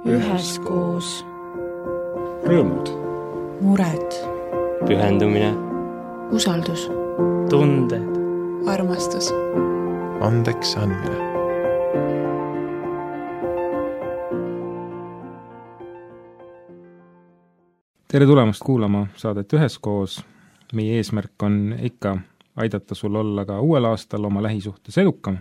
üheskoos. Rõõmud, mured, pühendumine, usaldus, tunded, armastus, andeks andmine. tere tulemast kuulama saadet Üheskoos. Meie eesmärk on ikka aidata sul olla ka uuel aastal oma lähisuhtes edukam.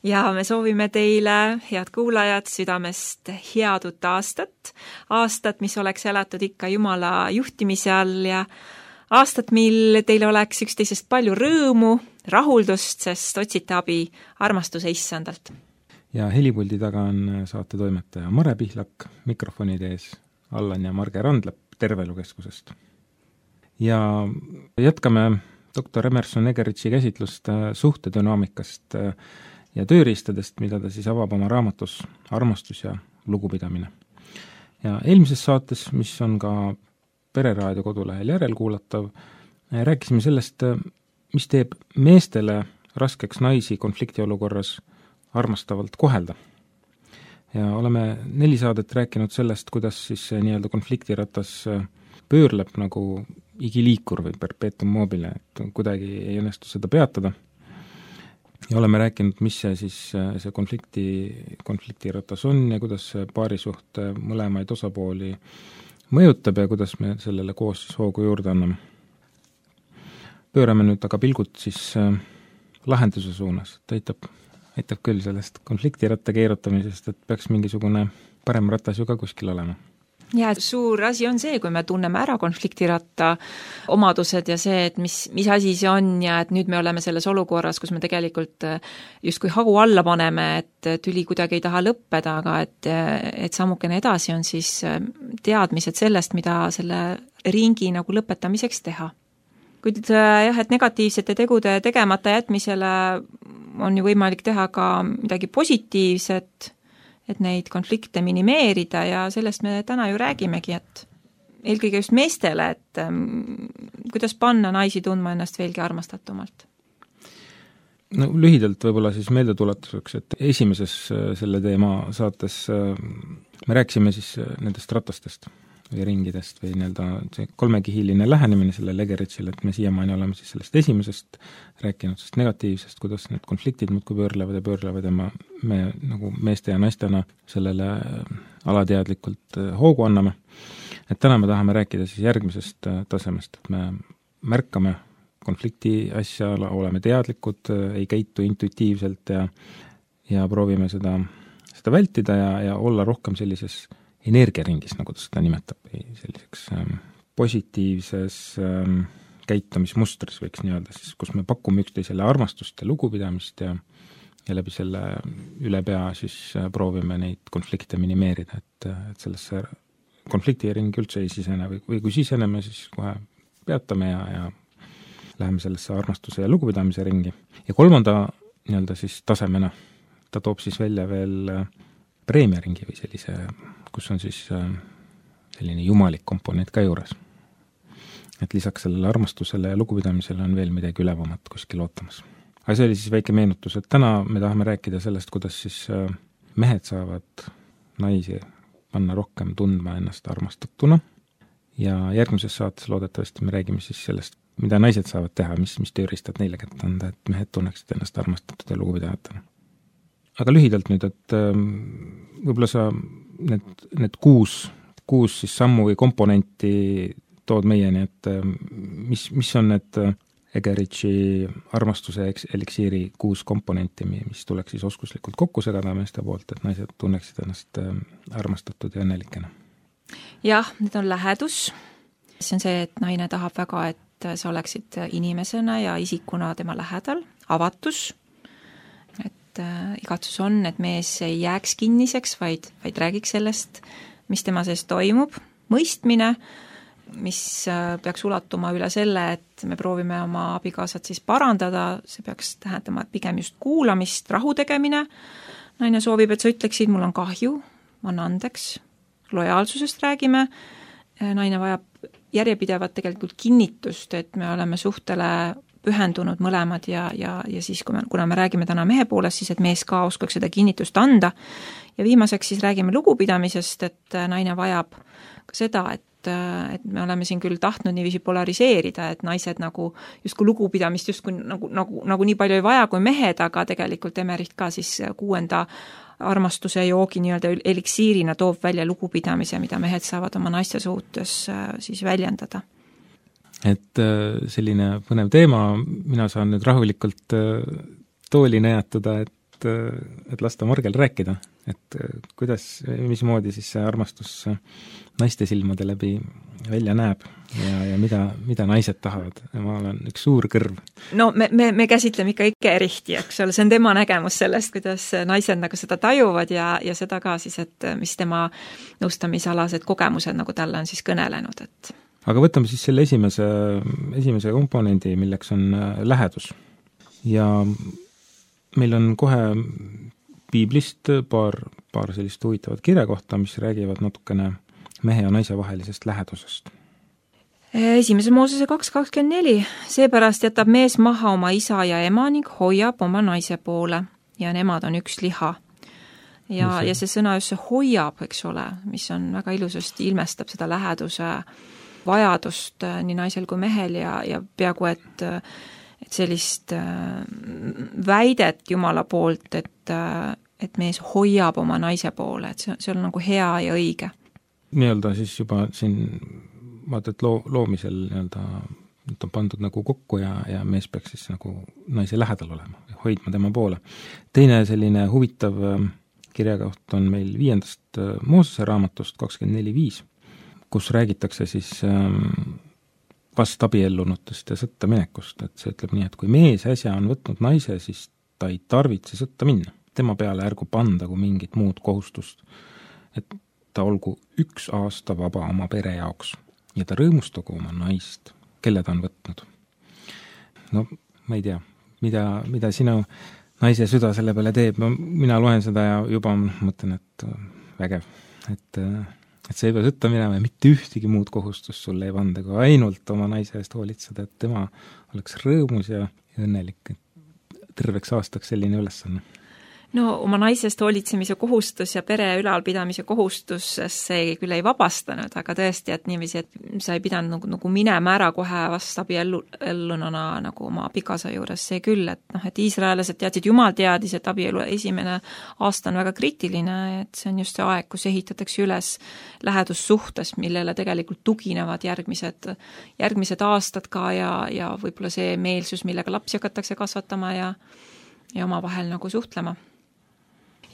Ja me soovime teile, head kuulajad, südamest head uut aastat. Aastat, mis oleks elatud ikka Jumala juhtimise all ja aastat, mil teil oleks üksteisest palju rõõmu, rahuldust, sest otsite abi armastuse issandalt. Ja helipuldi taga on saate toimetaja Mare Pihlak, mikrofonide ees Allan ja Marge Randlep Tervelukeskusest. Ja jätkame doktor Emerson Egeritši käsitlust suhtedünaamikast ja tööriistadest, mida ta siis avab oma raamatus Armastus ja lugupidamine. Ja eelmises saates, mis on ka Pereraadio kodulehel järelkuulatav, rääkisime sellest, mis teeb meestele raskeks naisi konfliktiolukorras armastavalt kohelda. Ja oleme 4 saadet rääkinud sellest, kuidas siis see nii-öelda konfliktiratas pöörleb nagu igiliikur või perpetuum mobile, et kuidagi ei õnnestu seda peatada. Ja oleme rääkinud, mis see siis see konfliktiratas on ja kuidas see paarisuhte mõlemaid osapooli mõjutab ja kuidas me sellele koos siis hoogu juurde anname. Pöörame nüüd aga pilgud siis lahenduse suunas, et aitab küll sellest konfliktiratta keerutamisest, et peaks mingisugune parem ratas ju ka kuskil olema. Ja suur asi on see, kui me tunneme ära konfliktiratta omadused ja see, et mis asi see on ja et nüüd me oleme selles olukorras, kus me tegelikult justkui hagu alla paneme, et tüli kuidagi ei taha lõppeda, aga et sammukene edasi on siis teadmised sellest, mida selle ringi nagu lõpetamiseks teha. Kuid jah, et negatiivsete tegude tegemata jätmisele on ju võimalik teha ka midagi positiivset, et neid konflikte minimeerida ja sellest me täna ju räägimegi, et eelkõige just meestele, et kuidas panna naisi tundma ennast veelgi armastatumalt. No lühidalt võib-olla siis meeldetuletuseks, et esimeses selle teema saates me rääkisime siis nendest ratastest või ringidest või nii-öelda see 3-kihiline lähenemine sellele Egeritšile, et me siiamaani oleme siis sellest esimesest rääkinud, sest negatiivsest, kuidas need konfliktid muudkui pöörlevad ja me nagu meeste ja naistena sellele alateadlikult hoogu anname. Et täna me tahame rääkida siis järgmisest tasemest, et me märkame konflikti asja, oleme teadlikud, ei käitu intuitiivselt ja proovime seda vältida ja olla rohkem sellises energiaringis, nagu ta seda nimetab, selliseks positiivses käitumismustris võiks nii öelda, siis, kus me pakume üksteisele armastust ja lugupidamist ja läbi selle üle pea siis proovime neid konflikte minimeerida, et sellesse konfliktiringi üldse ei sisene või kui siseneme, siis kohe peatame ja läheme sellesse armastuse ja lugupidamise ringi. Ja 3. nii-öelda siis tasemena ta toob siis välja veel preemiaringi või sellise, kus on siis selline jumalik komponent ka juures. Et lisaks sellele armastusele ja lugupidamisele on veel midagi ülevamat kuskil ootamas. Aga see oli siis väike meenutus, et täna me tahame rääkida sellest, kuidas siis mehed saavad naisi panna rohkem tundma ennast armastatuna ja järgmises saates loodetavasti me räägime siis sellest, mida naised saavad teha, mis tööriistad neile kätte anda, et mehed tunneksid ennast armastatud ja lugupidavatena. Aga lühidalt nüüd, et võib-olla sa need 6 siis sammu või komponenti tood meieni, et mis on need Egeritši armastuse eliksiiri 6 komponenti, mis tuleks siis oskuslikult kokku segada meeste poolt, et naised tunneksid ennast armastatud ja õnnelikena? Jah, need on lähedus. See on see, et naine tahab väga, et sa oleksid inimesena ja isikuna tema lähedal, avatus, igatsus on, et mees ei jääks kinniseks, vaid räägiks sellest, mis tema sees toimub, mõistmine, mis peaks ulatuma üle selle, et me proovime oma abikaasat siis parandada, see peaks tähendama pigem just kuulamist, rahu tegemine. Naine soovib, et sa ütleksid, mul on kahju, ma annan andeks, lojaalsusest räägime, naine vajab järjepidevat tegelikult kinnitust, et me oleme suhtele pühendunud mõlemad ja siis, kuna me räägime täna mehe poolest, siis et mees ka oskaks seda kinnitust anda. Ja viimaseks siis räägime lugupidamisest, et naine vajab ka seda, et me oleme siin küll tahtnud niiviisi polariseerida, et naised nagu justkui lugupidamist justkui nagu nii palju ei vaja kui mehed, aga tegelikult Emmerich ka siis 6. armastuse joogi nii-öelda eliksiirina toob välja lugupidamise, mida mehed saavad oma naiste suhtes siis väljendada. Et selline põnev teema, mina saan nüüd rahulikult tooli näjatada, et lasta Margel rääkida, et kuidas, mismoodi siis see armastus naiste silmade läbi välja näeb ja mida naised tahavad. Ma olen üks suur kõrv. No me käsitleme ikka Erihti, eks ole, see on tema nägemus sellest, kuidas naised nagu seda tajuvad ja seda ka siis, et mis tema nõustamisalased kogemused nagu talle on siis kõnelenud, et aga võtame siis selle esimese komponendi, milleks on lähedus. Ja meil on kohe piiblist paar sellist huvitavat kirjakohta, mis räägivad natukene mehe ja naise vahelisest lähedusest. 1. Moosese 2.24. Seepärast jätab mees maha oma isa ja ema ning hoiab oma naise poole ja nemad on üks liha. Ja see sõna just see hoiab, eks ole, mis on väga ilusasti ilmestab seda läheduse vajadust nii naisel kui mehel ja peaaegu, et sellist väidet Jumala poolt, et mees hoiab oma naise poole, et see on nagu hea ja õige. Nii-öelda siis juba siin vaata, et loomisel nii-öelda on pandud nagu kokku ja mees peaks siis nagu naise lähedal olema, hoidma tema poole. Teine selline huvitav kirjakoht on meil 5. Moosese raamatust 24.5, kus räägitakse siis vastabiellunutest ja sõtta minekust, et see ütleb nii, et kui mees äsja on võtnud naise, siis ta ei tarvitse sõtta minna. Tema peale ärgu pandagu mingit muud kohustust, et ta olgu 1 aasta vaba oma pere jaoks ja ta rõõmustagu oma naist, kelle ta on võtnud. No ma ei tea, mida sinu naise süda selle peale teeb, mina loen seda ja juba mõtlen, et vägev, et sa ei pea sõtta minema ja mitte ühtegi muud kohustust sulle ei panda, kui ainult oma naise eest hoolitseda, et tema oleks rõõmus ja õnnelik. Terveks aastaks selline ülesanne. No oma naisest hoolitsemise kohustus ja pere ülalpidamise kohustus see küll ei vabastanud, aga tõesti, et niiviisi, et sa ei pidanud nagu minema ära kohe vastabiellununa nagu oma abikaasa juures, see küll, et iisraelased teadsid, Jumal teadis, et abielu 1. aasta on väga kriitiline, et see on just see aeg, kus ehitatakse üles lähedussuhtes, millele tegelikult tuginevad järgmised aastad ka ja võib-olla see meelsus, millega lapsi hakatakse kasvatama ja omavahel nagu suhtlema.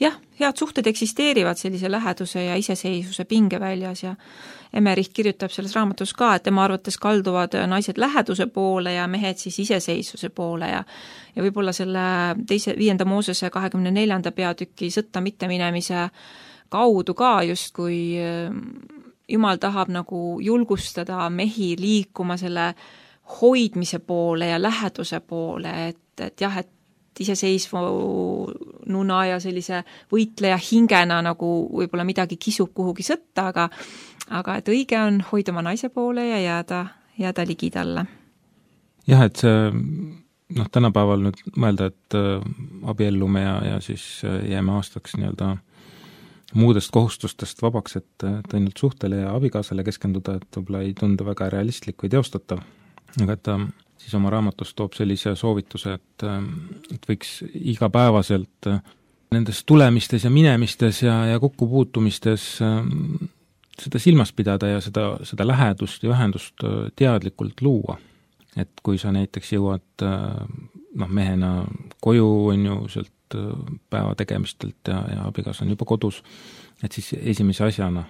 Jah, head suhted eksisteerivad sellise läheduse ja iseseisvuse pinge väljas ja Emmerich kirjutab selles raamatus ka, et tema arvates kalduvad naised läheduse poole ja mehed siis iseseisvuse poole ja võib-olla selle 5. Moosese 24. peatüki sõtta mitteminemise kaudu ka justkui Jumal tahab nagu julgustada mehi liikuma selle hoidmise poole ja läheduse poole, et jah, et iseseisvununa ja sellise võitleja hingena nagu võib-olla midagi kisub kuhugi sõtta, aga et õige on hoida oma naise poole ja jääda ligi talle. Jah, et see tänapäeval nüüd mõelda, et abiellume ja siis jääme aastaks nii-öelda muudest kohustustest vabaks, et ainult suhtele ja abikaasale keskenduda, et võib-olla ei tundu väga realistlik või teostatav, aga et siis oma raamatus toob sellise soovituse, et võiks igapäevaselt nendes tulemistes ja minemistes ja kokkupuutumistes seda silmas pidada ja seda lähedust ja ühendust teadlikult luua. Et kui sa näiteks jõuad mehena koju, on ju, sealt päeva tegemistelt ja abikaas on juba kodus, et siis esimese asjana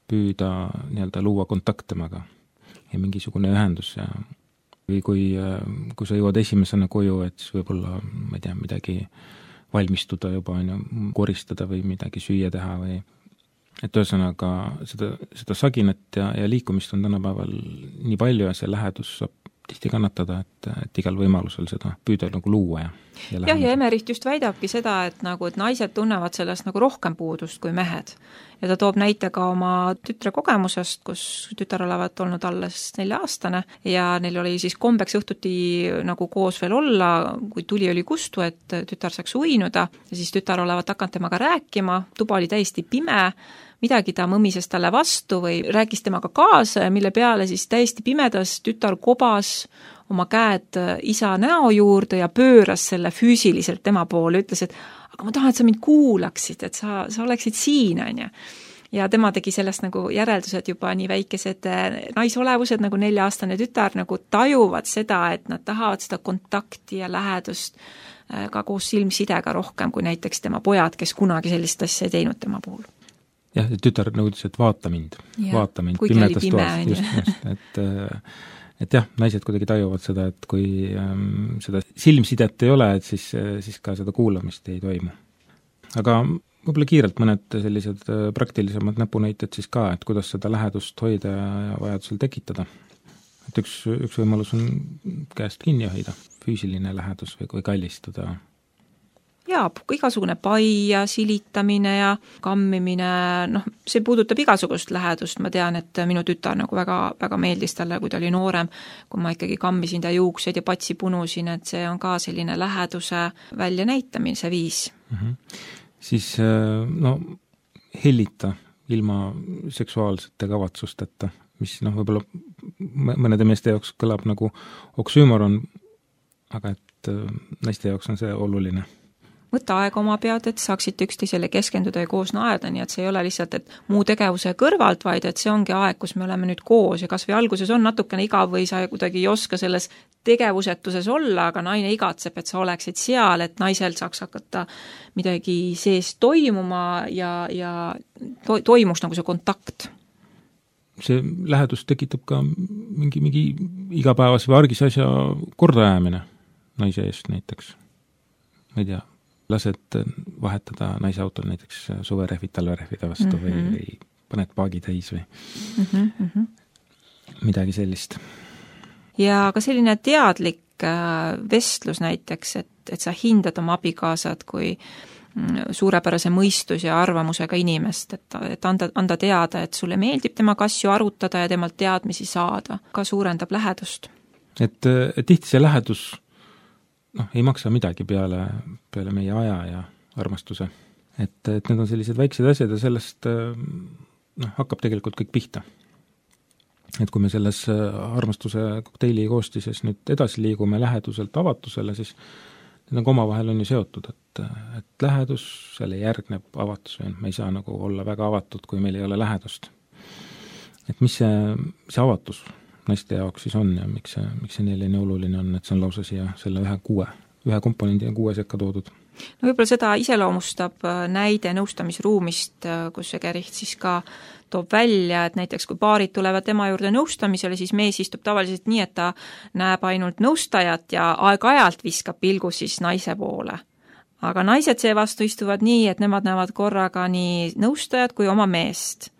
püüda nii-öelda luua kontakt temaga ja mingisugune ühendus või kui sa jõuad esimesena koju, et siis võib-olla, ma ei tea, midagi valmistuda juba, koristada või midagi süüa teha või et ühesõnaga seda saginat ja liikumist on tänapäeval nii palju ja see lähedus saab tihti kannatada, et igal võimalusel seda püüda nagu luua ja jah, ja Emericht just väidabki seda, et naised tunnevad sellest nagu rohkem puudust kui mehed. Ja ta toob näite ka oma tütre kogemusest, kus tütar olevat olnud alles 4-aastane ja neil oli siis kombeks õhtuti nagu koos veel olla, kui tuli oli kustu, et tütar saaks uinuda ja siis tütar olevat hakanud temaga rääkima, tuba oli täiesti pime, midagi ta mõmises talle vastu või rääkis temaga kaasa ja mille peale siis täiesti pimedas tütar kobas oma käed isa näo juurde ja pööras selle füüsiliselt tema poole, ütles, et aga ma tahan, et sa mind kuulaksid, et sa oleksid siin, on ju. Ja tema tegi sellest nagu järeldused juba nii väikesed naisolevused nagu 4-aastane tütar nagu tajuvad seda, et nad tahavad seda kontakti ja lähedust ka koos silmsidega rohkem kui näiteks tema pojad, kes kunagi sellist asja ei teinud tema puhul. Jah, tütar nõudis, et vaata mind pimedas toas, et jah, naised kuidagi tajuvad seda, et kui seda silmsidet ei ole, et siis ka seda kuulamist ei toimu. Aga võib-olla kiirelt mõned sellised praktilisemad näpunäited siis ka, et kuidas seda lähedust hoida ja vajadusel tekitada. Et üks võimalus on käest kinni hoida, füüsiline lähedus või kallistada. Jaa, igasugune paia, silitamine ja kammimine, see puudutab igasugust lähedust, ma tean, et minu tütar nagu väga, väga meeldis talle, kui ta oli noorem, kui ma ikkagi kammisin ta juuksed ja patsi punusin, et see on ka selline läheduse väljanäitamise viis. Siis hellita ilma seksuaalsete kavatsusteta, mis võib-olla mõnede meeste jaoks kõlab nagu oksüümoron, aga et naiste jaoks on see oluline. Võtta aega oma pead, et saaksite üksteisele keskenduda ja koos naerda, nii et see ei ole lihtsalt, et muu tegevuse kõrvalt, vaid et see ongi aeg, kus me oleme nüüd koos ja kas või alguses on natukene igav või sa kuidagi ei oska selles tegevusetuses olla, aga naine igatseb, et sa oleksid seal, et naisel saaks hakata midagi sees toimuma ja toimuks nagu see kontakt. See lähedus tekitab ka mingi igapäevase või argise asja kordaajamine naise eest näiteks. Ma ei tea, lased vahetada naise autol näiteks suverehvid talverehvide vastu või paned paagi täis või midagi sellist. Ja ka selline teadlik vestlus näiteks, et sa hindad oma abikaasad kui suurepärase mõistus ja arvamusega inimest, et anda teada, et sulle meeldib temaga asju arutada ja temalt teadmisi saada, ka suurendab lähedust. Et tihti see lähedus ei maksa midagi peale meie aja ja armastuse. Et need on sellised väiksed asjad ja sellest hakkab tegelikult kõik pihta. Et kui me selles armastuse kokteili koostises nüüd edasi liigume läheduselt avatusele, siis need on omavahel on ju seotud, et lähedus, selle järgneb avatus, me ei saa nagu olla väga avatud, kui meil ei ole lähedust. Et mis see avatus naiste jaoks siis on ja miks see neile nii oluline on, et see on lausa siia selle ühe komponendi ja 6 sekka toodud. No võib-olla seda iseloomustab näide nõustamisruumist, kus Egericht siis ka toob välja, et näiteks kui paarid tulevad tema juurde nõustamisele, siis mees istub tavaliselt nii, et ta näeb ainult nõustajat ja aeg-ajalt viskab pilgu siis naise poole. Aga naised seevastu istuvad nii, et nemad näevad korraga nii nõustajat kui oma meest.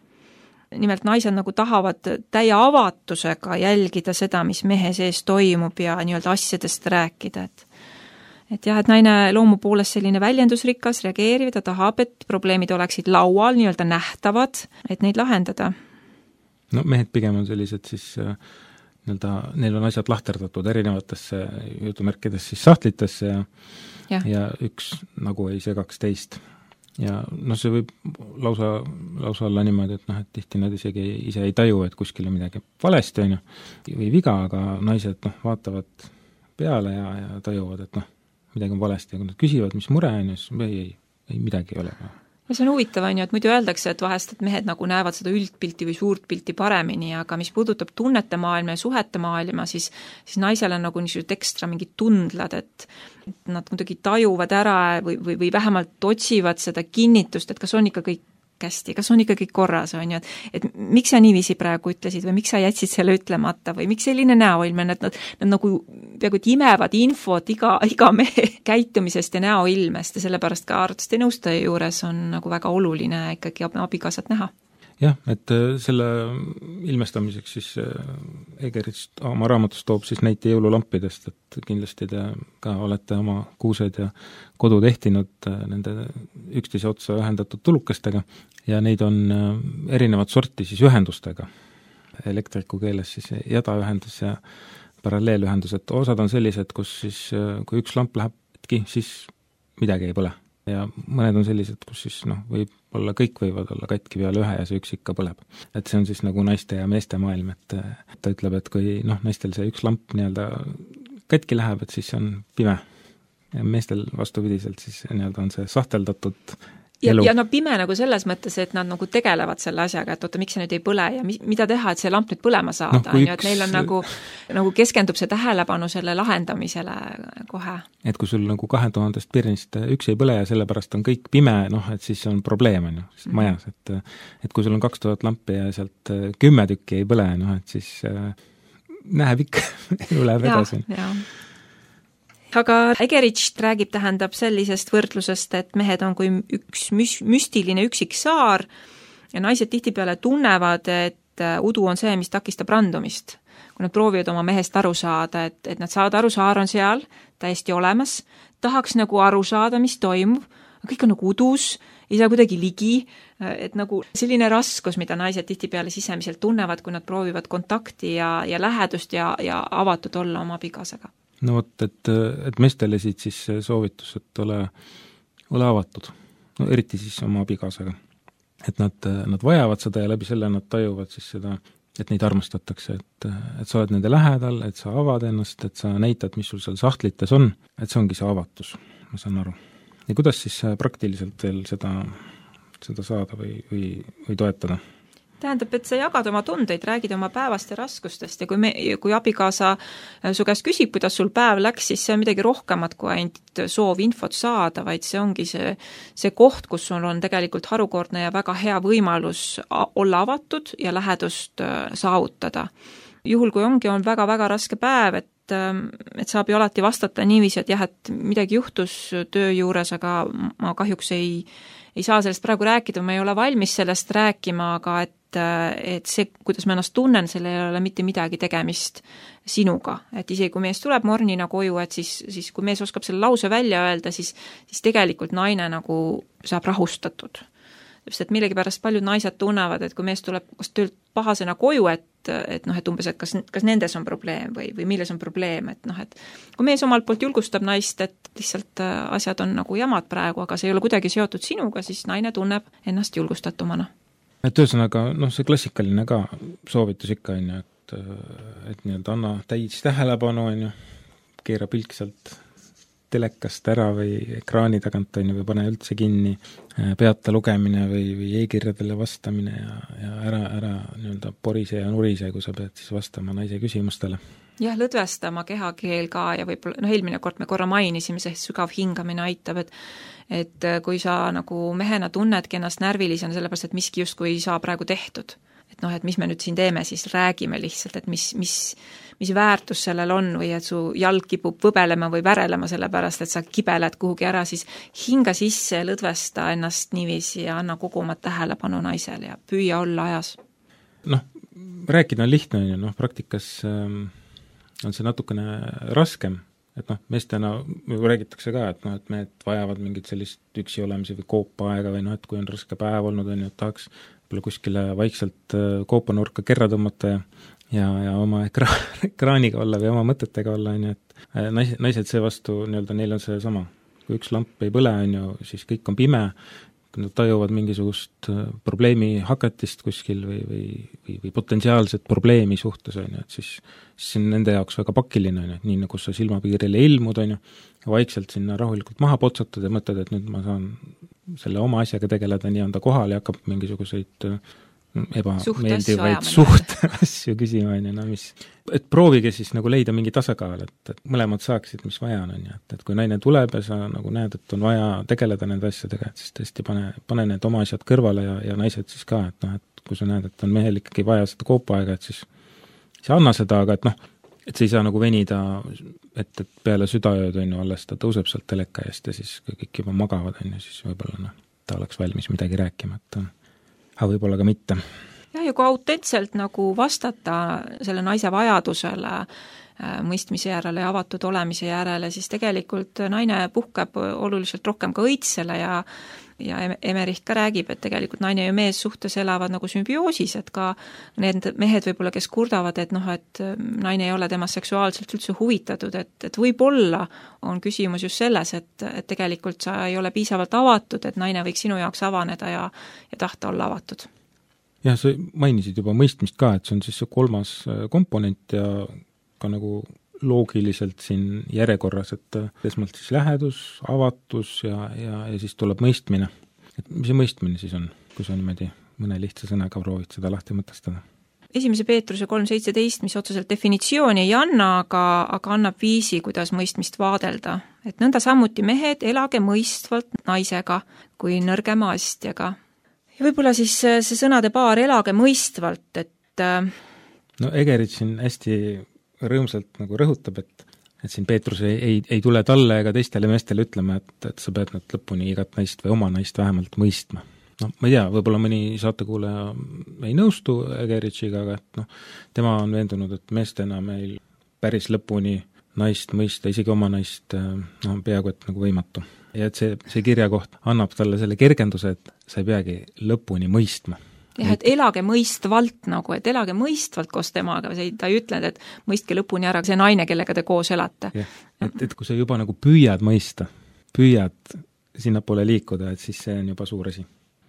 Nimelt naised nagu tahavad täie avatusega jälgida seda, mis mehe sees toimub ja nii-öelda asjadest rääkida, et jah, et naine loomu poolest selline väljendusrikas, reageeriv, ta tahab, et probleemid oleksid laual, nii-öelda nähtavad, et neid lahendada. No mehed pigem on sellised siis neil on asjad lahterdatud erinevatesse jutumärkides siis sahtlitesse ja üks nagu ei segaks teist. Ja see võib lausa olla niimoodi, et tihti nad isegi ise ei taju, et kuskil on midagi valesti on või viga, aga naised vaatavad peale ja tajuvad, et midagi on valesti ja kui nad küsivad, mis mure on, siis ei midagi ei ole. Ja see on huvitav, et muidu öeldakse, et vahest et mehed nagu näevad seda üldpilti või suurt pilti paremini, aga mis puudutab tunnete maailma ja suhete maailma, siis naisel on nagu niisugused ekstra mingid tundlad, et nad kuidagi tajuvad ära või vähemalt otsivad seda kinnitust, et kas on ikka kõik hästi, kas on ikka kõik korras, on ju, et miks sa niiviisi praegu ütlesid või miks sa jätsid selle ütlemata või miks selline näoilme, nad nagu peaaegu imevad infot iga mehe käitumisest ja näoilmest ja sellepärast ka arsti nõustaja juures on nagu väga oluline ikkagi abikaasat näha. jah, et selle ilmestamiseks siis Egerits oma raamatus toob siis näite jõululampidest, et kindlasti te ka olete oma kuused ja kodud ehtinud nende üksteise otsa ühendatud tulukestega ja neid on erinevat sorti siis ühendustega. Elektriku keeles siis jadaühendus ja paralleelühendus, et osad on sellised, kus siis kui üks lamp läheb hetki, siis midagi ei põle. Ja mõned on sellised, kus siis võib-olla kõik võivad olla katki peale ühe ja see üks ikka põleb. Et see on siis nagu naiste ja meeste maailm, et ta ütleb, et kui naistel see üks lamp nii-öelda katki läheb, et siis see on pime. Ja meestel vastupidiselt siis nii-öelda on see sahteldatud elu. Ja pime nagu selles mõttes, et nad nagu tegelevad selle asjaga, et oota, miks see nüüd ei põle ja mida teha, et see lamp nüüd põlema saada, et neil on nagu keskendub see tähelepanu selle lahendamisele kohe. Et kui sul nagu 2000 pirnist üks ei põle ja sellepärast on kõik pime, et siis on probleem majas, et kui sul on 2000 lampi ja sealt 10 tükki ei põle, et siis näeb ikka, elu läheb edasi. Aga Egerich räägib, tähendab sellisest võrdlusest, et mehed on kui üks müstiline üksik saar ja naised tihtipeale tunnevad, et udu on see, mis takistab randumist. Kui nad proovivad oma mehest aru saada, et nad saavad aru, saar on seal, täiesti olemas, tahaks nagu aru saada, mis toimub, kõik on nagu udus, ei saa kuidagi ligi, et nagu selline raskus, mida naised tihtipeale sisemiselt tunnevad, kui nad proovivad kontakti ja lähedust ja avatud olla oma abikaasaga. No vot, et meestele siit siis soovitus, et ole avatud, eriti siis oma abikaasaga. Et nad vajavad seda ja läbi selle nad tajuvad siis seda, et neid armastatakse, et sa oled nende lähedal, et sa avad ennast, et sa näitad, mis sul seal sahtlites on, et see ongi see avatus, ma saan aru. Ja kuidas siis praktiliselt veel seda saada või toetada? Tähendab, et sa jagad oma tundeid, räägid oma päevast ja raskustest ja kui abikaasa su käest küsib, kuidas sul päev läks, siis see on midagi rohkemat kui ainult soov infot saada, vaid see ongi see koht, kus sul on tegelikult harukordne ja väga hea võimalus olla avatud ja lähedust saavutada. Juhul, kui on väga-väga raske päev, et saab ju alati vastata niiviisi, et jah, et midagi juhtus töö juures, aga ma kahjuks ei saa sellest praegu rääkida, ma ei ole valmis sellest rääkima, aga et see, kuidas ma ennast tunnen, selle ei ole mitte midagi tegemist sinuga. Et isegi kui mees tuleb mornina koju, et siis kui mees oskab selle lause välja öelda, siis tegelikult naine nagu saab rahustatud. Just, et millegipärast paljud naised tunnevad, et kui mees tuleb kas töölt pahasena koju, et umbes, et kas nendes on probleem või milles on probleem, et kui mees omalt poolt julgustab naist, et lihtsalt asjad on nagu jamad praegu, aga see ei ole kuidagi seotud sinuga, siis naine tunneb ennast julgustatumana. Et ühesõnaga, see klassikaline ka soovitus ikka on ju, et nii-öelda anna täis tähelepanu on ju, keera pilk sealt telekast ära või ekraani tagant on ju, või pane üldse kinni, peata lugemine või e-kirjadele vastamine ja ära nii-öelda porise ja nurise, kui sa pead siis vastama naise küsimustele. Jah, lõdvestama kehakeel ka ja võib-olla, eelmine kord me korra mainisime, see sügav hingamine aitab, et kui sa nagu mehena tunnedki ennast närvilisena, sellepärast, et miski justkui ei saa praegu tehtud. Et et mis me nüüd siin teeme, siis räägime lihtsalt, et mis väärtus sellel on või et su jalg kipub võbelema või värelema sellepärast, et sa kibeled kuhugi ära, siis hinga sisse, lõdvesta ennast niiviisi ja anna kogu oma tähelepanu naisele ja püüa olla ajas. Rääkida on lihtne, praktikas on see natukene raskem, et meestena räägitakse ka, et mehed vajavad mingit sellist üksi olemise või koopa-aega või et kui on raske päev olnud, et tahaks kuskile vaikselt koopanurka kerra tõmmata ja oma ekraaniga olla või oma mõtetega olla, et naised seevastu, neil on see sama. Kui üks lamp ei põle, siis kõik on pime, kui nad tajuvad mingisugust probleemi hakatist kuskil või potentsiaalset probleemi suhtes, et siis see on nende jaoks väga pakiline, nii nagu sa silmapiirile ilmud, vaikselt sinna rahulikult maha potsatad ja mõtled, et nüüd ma saan selle oma asjaga tegeleda, nii on ta kohal ja hakkab mingisuguseid ebameeldivaid suhteasju küsima, et proovige siis nagu leida mingi tasakaal, et mõlemad saaksid, mis vaja on, et kui naine tuleb ja sa nagu näed, et on vaja tegeleda nende asjadega, et siis tõesti pane need oma asjad kõrvale ja naised siis ka, et kui sa näed, et on mehel ikkagi vaja seda koopa-aega, et siis anna seda, aga et see ei saa nagu venida, et peale südaööd alles ta tõuseb sealt teleka eest ja siis kui kõik juba magavad, siis võib-olla ta oleks valmis midagi rääkima, aga võib-olla ka mitte. jah, ja kui autentselt nagu vastata selle naise vajadusele mõistmise järele ja avatud olemise järele, siis tegelikult naine puhkeb oluliselt rohkem ka õitsele ja Emmerich ka räägib, et tegelikult naine ja mees suhtes elavad nagu sümbioosis, et ka need mehed võib-olla, kes kurdavad, et et naine ei ole temast seksuaalselt üldse huvitatud, et võib-olla on küsimus just selles, et tegelikult sa ei ole piisavalt avatud, et naine võiks sinu jaoks avaneda ja tahta olla avatud. Jah, sa mainisid juba mõistmist ka, et see on siis see kolmas komponent ja ka nagu loogiliselt siin järjekorras, et esmalt siis lähedus, avatus ja siis tuleb mõistmine. Et mis see mõistmine siis on, kui sa niimoodi mõne lihtsa sõnaga proovid seda lahti mõtestada? 1. Peetruse 3.17, mis otseselt definitsiooni ei anna, aga annab viisi, kuidas mõistmist vaadelda. Et nõnda samuti mehed, elage mõistvalt naisega kui nõrgema astjaga. Ja võib-olla siis see sõnade paar elage mõistvalt, et no Egerit siin hästi rõõmsalt nagu rõhutab, et siin Peetrus ei tule talle ega teistele meestele ütlema, et sa pead nüüd lõpuni igat naist või oma naist vähemalt mõistma. No ma ei tea, võib-olla mõni saatekuulaja ei nõustu Egeritšiga, aga et tema on veendunud, et meestena meil päris lõpuni naist mõista, isegi oma naist peaaegu et nagu võimatu. Ja et see kirjakoht annab talle selle kergenduse, et sa ei peagi lõpuni mõistma. jah, et elage mõistvalt nagu, et elage mõistvalt koos temaga, ta ei ütle, et mõistke lõpuni ära see naine, kellega te koos elate. Et kui sa juba nagu püüad mõista, püüad sinnapoole liikuda, et siis see on juba suur asi.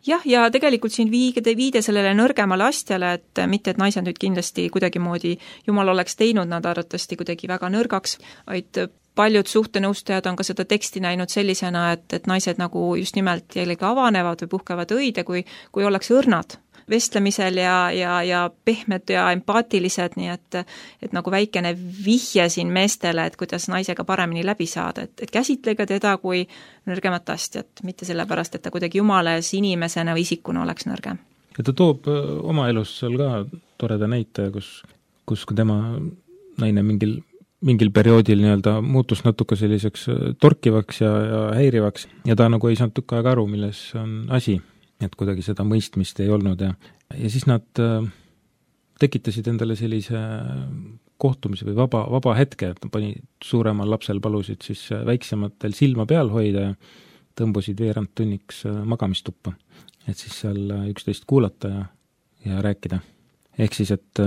Jah, ja tegelikult siin viide sellele nõrgemale astjale, et mitte, et naised nüüd kindlasti kuidagimoodi Jumal oleks teinud nad arvatavasti kuidagi väga nõrgaks, vaid paljud suhtenõustajad on ka seda teksti näinud sellisena, et naised nagu just nimelt jällegi avanevad või puhkevad õide, kui oleks õrnad vestlemisel ja pehmed ja empaatilised, nii et nagu väikene vihje siin meestele, et kuidas naisega paremini läbi saada, et käsitlege teda kui nõrgemat astjat, mitte sellepärast, et ta kuidagi jumales inimesena või isikuna oleks nõrgem. Ja ta toob oma elus seal ka toreda näite, kus tema naine mingil perioodil nii-öelda muutus natuke selliseks torkivaks ja häirivaks ja ta nagu ei saanud tükk aega aru, milles on asi. Et kuidagi seda mõistmist ei olnud ja siis nad tekitasid endale sellise kohtumise või vaba hetke, et pani suuremal lapsel palusid siis väiksematel silma peal hoida ja tõmbusid veerand tunniks magamistuppa. Et siis seal üksteist kuulata ja rääkida. Ehk siis, et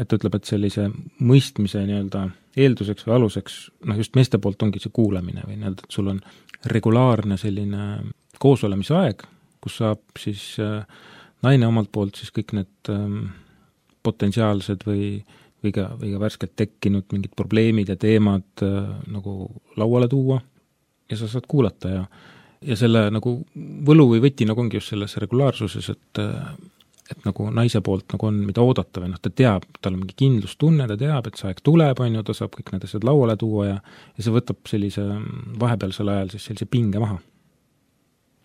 ütleb, et sellise mõistmise nii-öelda eelduseks või aluseks, just meeste poolt ongi see kuulamine või nii-öelda, et sul on regulaarne selline koosolemise aeg, kus saab siis naine omalt poolt siis kõik need potentsiaalsed või ka värskelt tekkinud mingid probleemid ja teemad nagu lauale tuua ja sa saad kuulata ja selle nagu võlu või võti nagu ongi just selles regulaarsuses, et nagu naise poolt nagu on mida oodata või ta teab, tal on mingi kindlustunne, ta teab, et see aeg tuleb, ta saab kõik need asjad lauale tuua ja see võtab sellise vahepealsel ajal siis sellise pinge maha.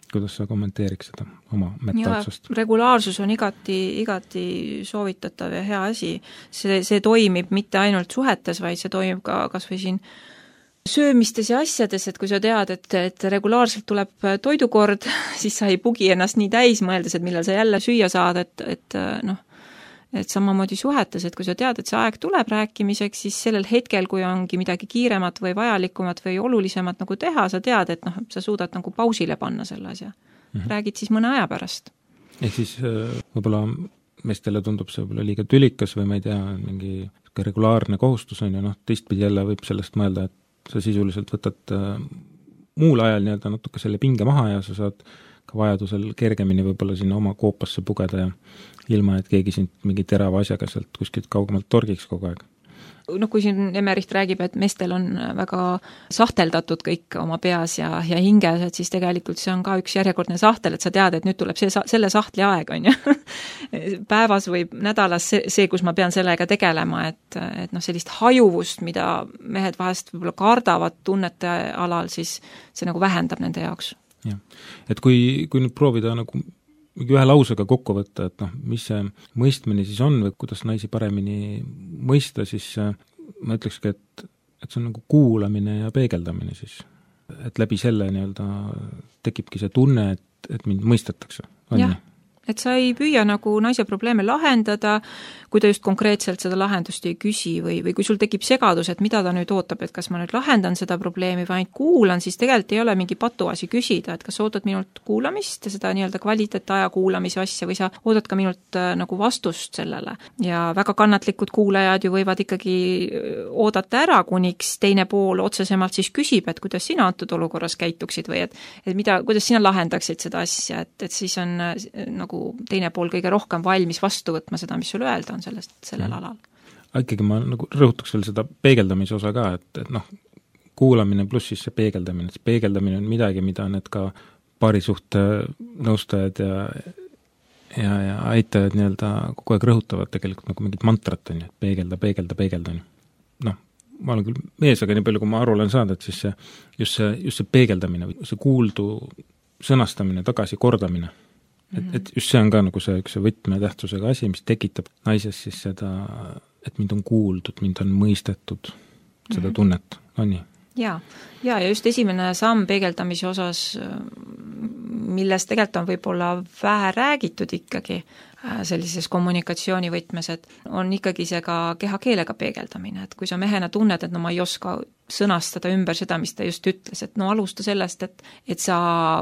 Kuidas sa kommenteeriks seda oma metaotsust? Regulaarsus on igati soovitatav ja hea asi. See toimib mitte ainult suhetes, vaid see toimib ka kas või siin söömistes ja asjades, et kui sa tead, et regulaarselt tuleb toidukord, siis sa ei pugi ennast nii täis mõeldes, et millal sa jälle süüa saad, et samamoodi suhetes, et kui sa tead, et see aeg tuleb rääkimiseks, siis sellel hetkel, kui ongi midagi kiiremat või vajalikumat või olulisemat nagu teha, sa tead, et sa suudad nagu pausile panna selle asja. Räägid siis mõne aja pärast. Ehk siis võib-olla meestele tundub see võib-olla liiga tülikas või ma ei tea, mingi regulaarne kohustus on ja teistpidi jälle võib sellest mõelda, et sa sisuliselt võtad muul ajal nii-öelda natuke selle pinge maha ja sa saad ka vajadusel kergemini võib-olla sinna oma koopasse pugeda ja ilma, et keegi sind mingi terava asjaga sealt kuskilt kaugemalt torgiks kogu aeg. Kui siin Emmerich räägib, et meestel on väga sahteldatud kõik oma peas ja hinges, et siis tegelikult see on ka üks järjekordne sahtel, et sa tead, et nüüd tuleb selle sahtli aeg, on ju. Päevas või nädalas see, kus ma pean sellega tegelema, et sellist hajuvust, mida mehed vahest võib-olla kardavad tunnete alal, siis see nagu vähendab nende jaoks. Ja. Et kui nüüd proovida nagu ühe lausega kokku võtta, et mis see mõistmine siis on või kuidas naisi paremini mõista, siis ma ütlekski, et see on nagu kuulamine ja peegeldamine siis. Et läbi selle nii-öelda tekibki see tunne, et mind mõistetakse. Jah, et sa ei püüa nagu naise probleeme lahendada, kui ta just konkreetselt seda lahendust ei küsi või kui sul tekib segadus, et mida ta nüüd ootab, et kas ma nüüd lahendan seda probleemi või ainult kuulan, siis tegelikult ei ole mingi patuasi küsida, et kas sa ootad minult kuulamist ja seda nii-öelda kvaliteetaja kuulamise asja või sa ootad ka minult nagu vastust sellele. Ja väga kannatlikud kuulajad ju võivad ikkagi oodata ära, kuniks teine pool otsesemalt siis küsib, et kuidas sina antud olukorras käituksid või et kuidas sina lahendaksid seda asja, et siis on nagu teine pool kõige rohkem valmis vastu võtma seda, mis sul öelda on sellel alal. Ikkagi ma nagu rõhutaks veel seda peegeldamise osa ka, et kuulamine pluss siis see peegeldamine. See peegeldamine on midagi, mida need ka paarisuhte nõustajad ja aitajad nii-öelda kogu aeg rõhutavad tegelikult nagu mingit mantrat on ju, et peegelda on ju. Ma olen küll mees, aga nii palju, kui ma aru olen saanud, et siis just see peegeldamine, see kuuldu sõnastamine, tagasi kordamine, et just see on ka nagu see üks võtmetähtsusega asi, mis tekitab naises siis seda, et mind on kuuldud, mind on mõistetud, seda tunnet, on nii? Ja just esimene samm peegeldamise osas, millest tegelikult on võib-olla vähe räägitud ikkagi sellises kommunikatsioonivõtmes, et on ikkagi see ka kehakeelega peegeldamine, et kui sa mehena tunned, et ma ei oska sõnastada ümber seda, mis ta just ütles, et alusta sellest, et sa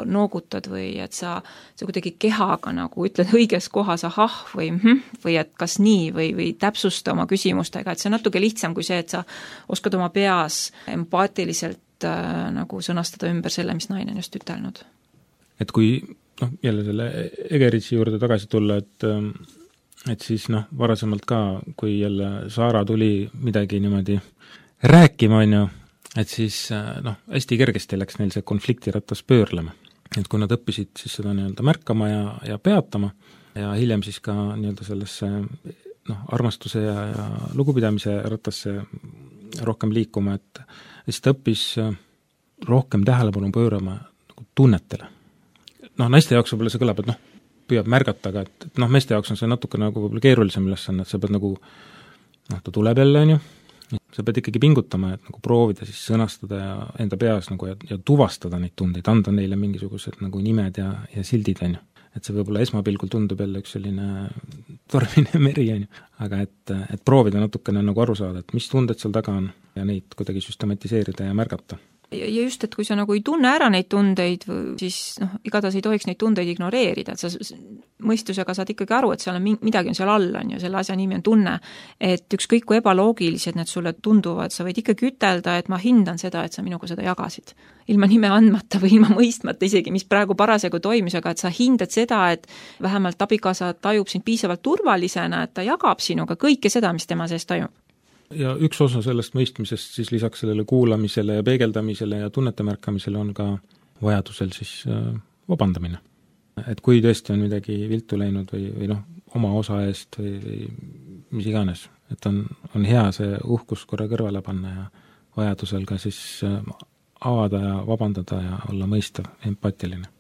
noogutad või et sa kuidagi kehaga nagu ütled õiges kohas ahah või et kas nii või täpsusta oma küsimustega, et see on natuke lihtsam kui see, et sa oskad oma peas empaatiliselt nagu sõnastada ümber selle, mis naine on just ütelnud. Et kui jälle selle Egeritsi juurde tagasi tulla, et siis varasemalt ka, kui jälle Saara tuli midagi niimoodi rääkima, on ju, et siis hästi kergesti läks neil see konfliktiratas pöörlema. Et kui nad õppisid siis seda nii-öelda märkama ja peatama ja hiljem siis ka nii-öelda sellesse armastuse ja lugupidamise rattasse rohkem liikuma, et siis ta õppis rohkem tähelepanu pöörama nagu tunnetele. Naiste jaoks võib-olla see kõlab, et püüab märgata, aga et meeste jaoks on see natuke nagu võib-olla keerulisem ülesanne, et sa pead nagu, ta tuleb jälle, on ju, sa pead ikkagi pingutama, et nagu proovida siis sõnastada ja enda peas nagu ja tuvastada neid tundeid, anda neile mingisugused nagu nimed ja sildid, on ju. Et see võib-olla esmapilgul tundub jälle üks selline tormine meri, on ju, aga et proovida natukene nagu aru saada, et mis tunded seal taga on ja neid kuidagi süstematiseerida ja märgata. Ja just, et kui sa nagu ei tunne ära neid tundeid, siis igatahes ei tohiks neid tundeid ignoreerida, et sa mõistusega saad ikkagi aru, et seal on midagi on seal all, on ju, selle asja nimi on tunne, et ükskõik kui ebaloogilised need sulle tunduvad, sa võid ikkagi ütelda, et ma hindan seda, et sa minuga seda jagasid. Ilma nime andmata või ilma mõistmata isegi, mis praegu parasjagu toimis, aga et sa hindad seda, et vähemalt abikaasa tajub sind piisavalt turvalisena, et ta jagab sinuga kõike seda, mis tema sees toimub. Ja üks osa sellest mõistmisest siis lisaks sellele kuulamisele ja peegeldamisele ja tunnete märkamisele on ka vajadusel siis vabandamine. Et kui tõesti on midagi viltu läinud või oma osa eest või mis iganes, et on hea see uhkus korra kõrvale panna ja vajadusel ka siis avada ja vabandada ja olla mõistav, empaatiline.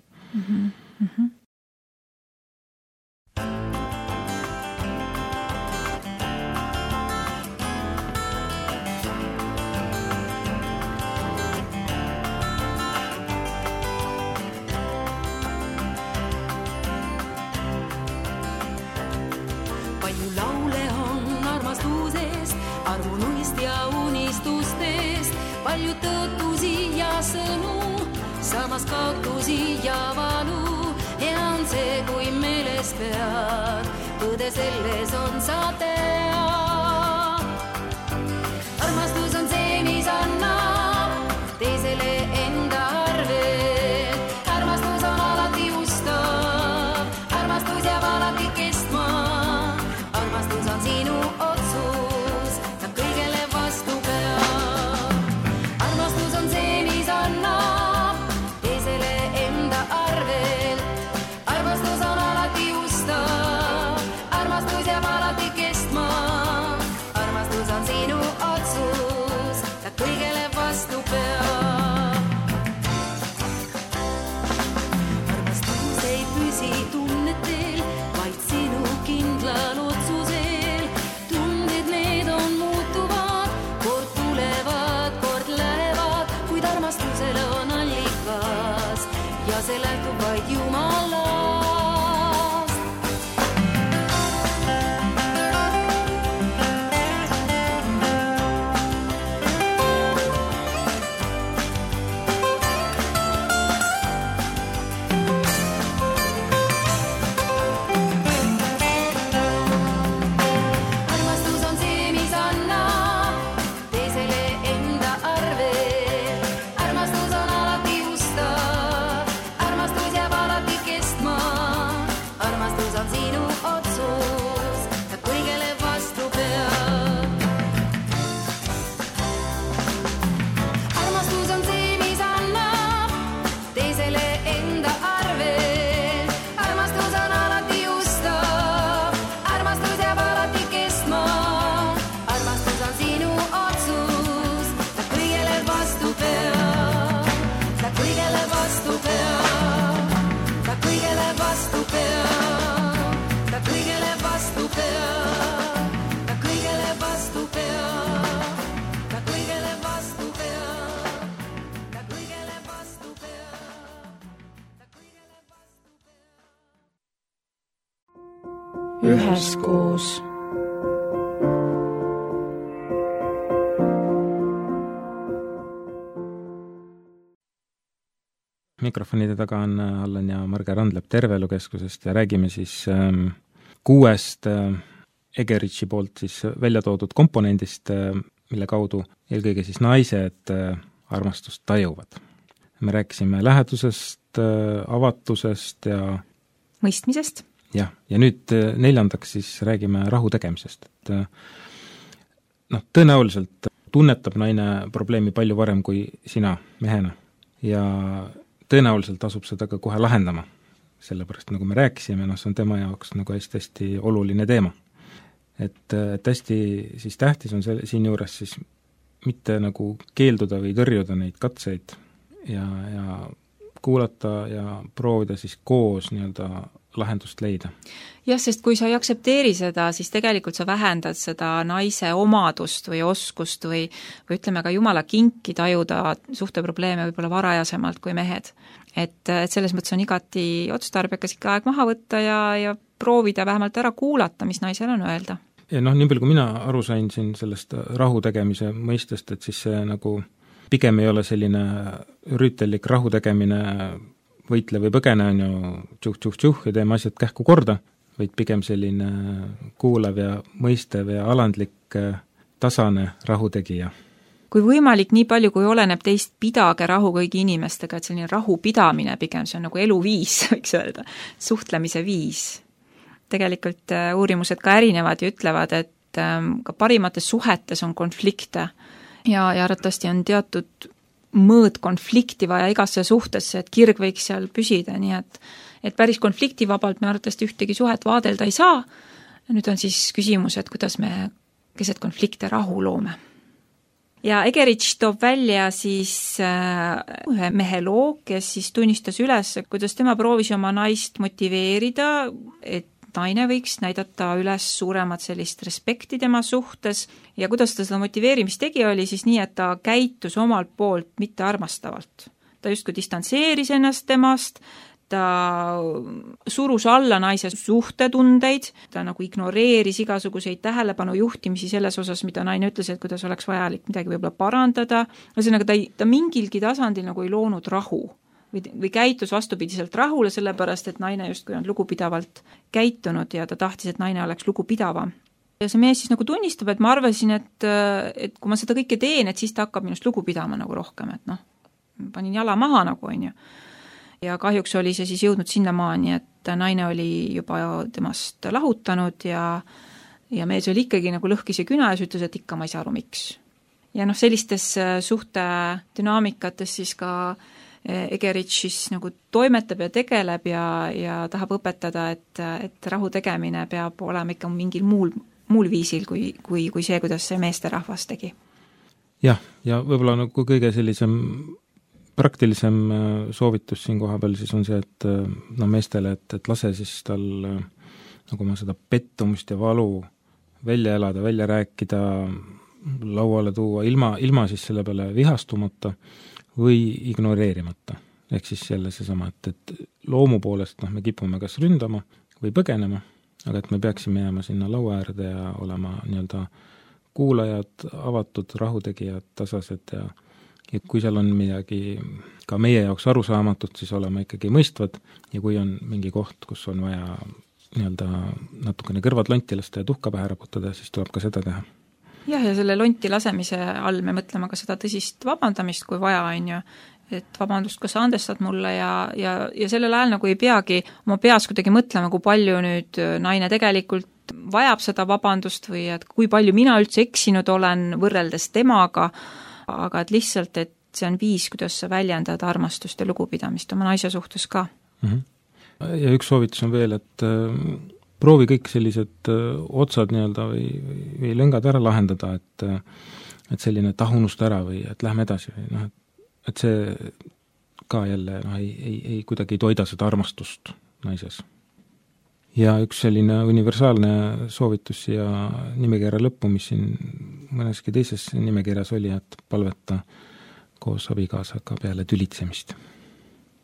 Armunuist ja unistustest, palju tõotusi ja sõnu, samas kaotusi ja valu. Hea on see, kui meeles pead, tõde selles on sa tead. Armastus on see, mis annab teisele enda arvel. Armastus on alati ustav, armastus jääb alati kestma. Armastus on sinu otsus, sa kõigele vastu peab. Armastus on see, mis annab teisele enda arvel. Armastus on alati ustav, armastus jääb alati kestma. Armastus on sinu otsus, sa kõigele vastu peab. Armastus ei püsi tunnetel, vaid sinugi üheskoos. Mikrofonide taga on Allan ja Marge Randlep Terveelukeskusest ja räägime siis 6 Egerichi poolt siis välja toodud komponendist, mille kaudu eelkõige siis naised armastust tajuvad. Me rääkisime lähedusest, avatusest ja mõistmisest. Jah, ja nüüd 4. siis räägime rahu tegemisest. Tõenäoliselt tunnetab naine probleemi palju varem kui sina mehena ja tõenäoliselt asub seda ka kohe lahendama, sellepärast nagu me rääkisime, see on tema jaoks nagu hästi oluline teema. Et hästi siis tähtis on siin juures siis mitte nagu keelduda või tõrjuda neid katseid ja kuulata ja proovida siis koos lahendust leida. Jah, sest kui sa ei aktsepteeri seda, siis tegelikult sa vähendad seda naise omadust või oskust või ütleme ka jumala kinki tajuda suhteprobleeme võib-olla varajasemalt kui mehed. Et selles mõttes on igati otstarbekas ikka aeg maha võtta ja proovida vähemalt ära kuulata, mis naisel on öelda. Ja nii palju kui mina aru sain siin sellest rahu tegemise mõistest, et siis see nagu pigem ei ole selline rüütellik rahu tegemine võitle või põgene on ju tšuh ja teeme asjad kähku korda, vaid pigem selline kuulav ja mõistev ja alandlik tasane rahutegija. Kui võimalik, nii palju kui oleneb teist, pidage rahu kõigi inimestega, et selline rahu pidamine pigem, see on nagu eluviis, võiks öelda, suhtlemise viis. Tegelikult uurimused ka erinevad ja ütlevad, et ka parimates suhetes on konflikte ja arvatavasti on teatud mõõd konflikti vaja igasse suhtesse, et kirg võiks seal püsida, nii et päris konfliktivabalt me arvatavasti ühtegi suhet vaadelda ei saa. Nüüd on siis küsimus, et kuidas me keset konflikte rahu loome. Ja Egerich toob välja siis ühe mehe loo, kes siis tunnistas üles, kuidas tema proovis oma naist motiveerida, et naine võiks näidata üles suuremat sellist respekti tema suhtes ja kuidas ta seda motiveerimist tegi, oli siis nii, et ta käitus omalt poolt mitte armastavalt. Ta justkui distantseeris ennast temast, ta surus alla naise suhtetundeid, ta nagu ignoreeris igasuguseid tähelepanu juhtimisi selles osas, mida naine ütles, et kuidas oleks vajalik midagi võib-olla parandada. Ühesõnaga, ta mingilgi tasandil nagu ei loonud rahu või käitus vastupidiselt rahule, sellepärast, et naine justkui on lugupidavalt käitunud ja ta tahtis, et naine oleks lugupidavam. Ja see mees siis nagu tunnistab, et ma arvasin, et kui ma seda kõike teen, et siis ta hakkab minust lugu pidama nagu rohkem, et panin jala maha nagu on ju. Ja kahjuks oli see siis jõudnud sinnamaani, et naine oli juba temast lahutanud ja mees oli ikkagi nagu lõhkis ja küna ja ütles, et ikka ma ei saa aru, miks. Ja sellistes suhte dünaamikates siis ka Egerich siis nagu toimetab ja tegeleb ja tahab õpetada, et rahu tegemine peab olema ikka mingil muul viisil kui see, kuidas see meesterahvas tegi. Jah, ja võib-olla nagu kõige sellisem praktilisem soovitus siin koha peal siis on see, et meestele, et lase siis tal nagu ma seda pettumust ja valu välja elada, välja rääkida, lauale tuua, ilma siis selle peale vihastumata või ignoreerimata. Ehk siis jälle seesama, et loomu poolest me kipume kas ründama või põgenema, aga et me peaksime jääma sinna laua äärde ja olema kuulajad, avatud, rahutegijad, tasased ja kui seal on midagi ka meie jaoks arusaamatut, siis olema ikkagi mõistvad ja kui on mingi koht, kus on vaja natukene kõrvad lonti lasta ja tuhka pähe raputada, siis tuleb ka seda teha. Jah, ja selle lonti lasemise all me mõtleme ka seda tõsist vabandamist, kui vaja on ju, et vabandust, kas sa andestad mulle ja sellel ajal nagu ei peagi oma peas kuidagi mõtlema, kui palju nüüd naine tegelikult vajab seda vabandust või et kui palju mina üldse eksinud olen võrreldes temaga, aga et lihtsalt, et see on viis, kuidas sa väljendad armastust ja lugupidamist oma naise suhtes ka. Ja üks soovitus on veel, et proovi kõik sellised otsad või lõngad ära lahendada, et selline tahunust ära või et lähme edasi või et see ka jälle ei kuidagi toida seda armastust naises. Ja üks selline universaalne soovitus ja nimekirja lõppu, mis siin mõneski teises nimekirjas oli, et palveta koos abikaasaga peale tülitsemist.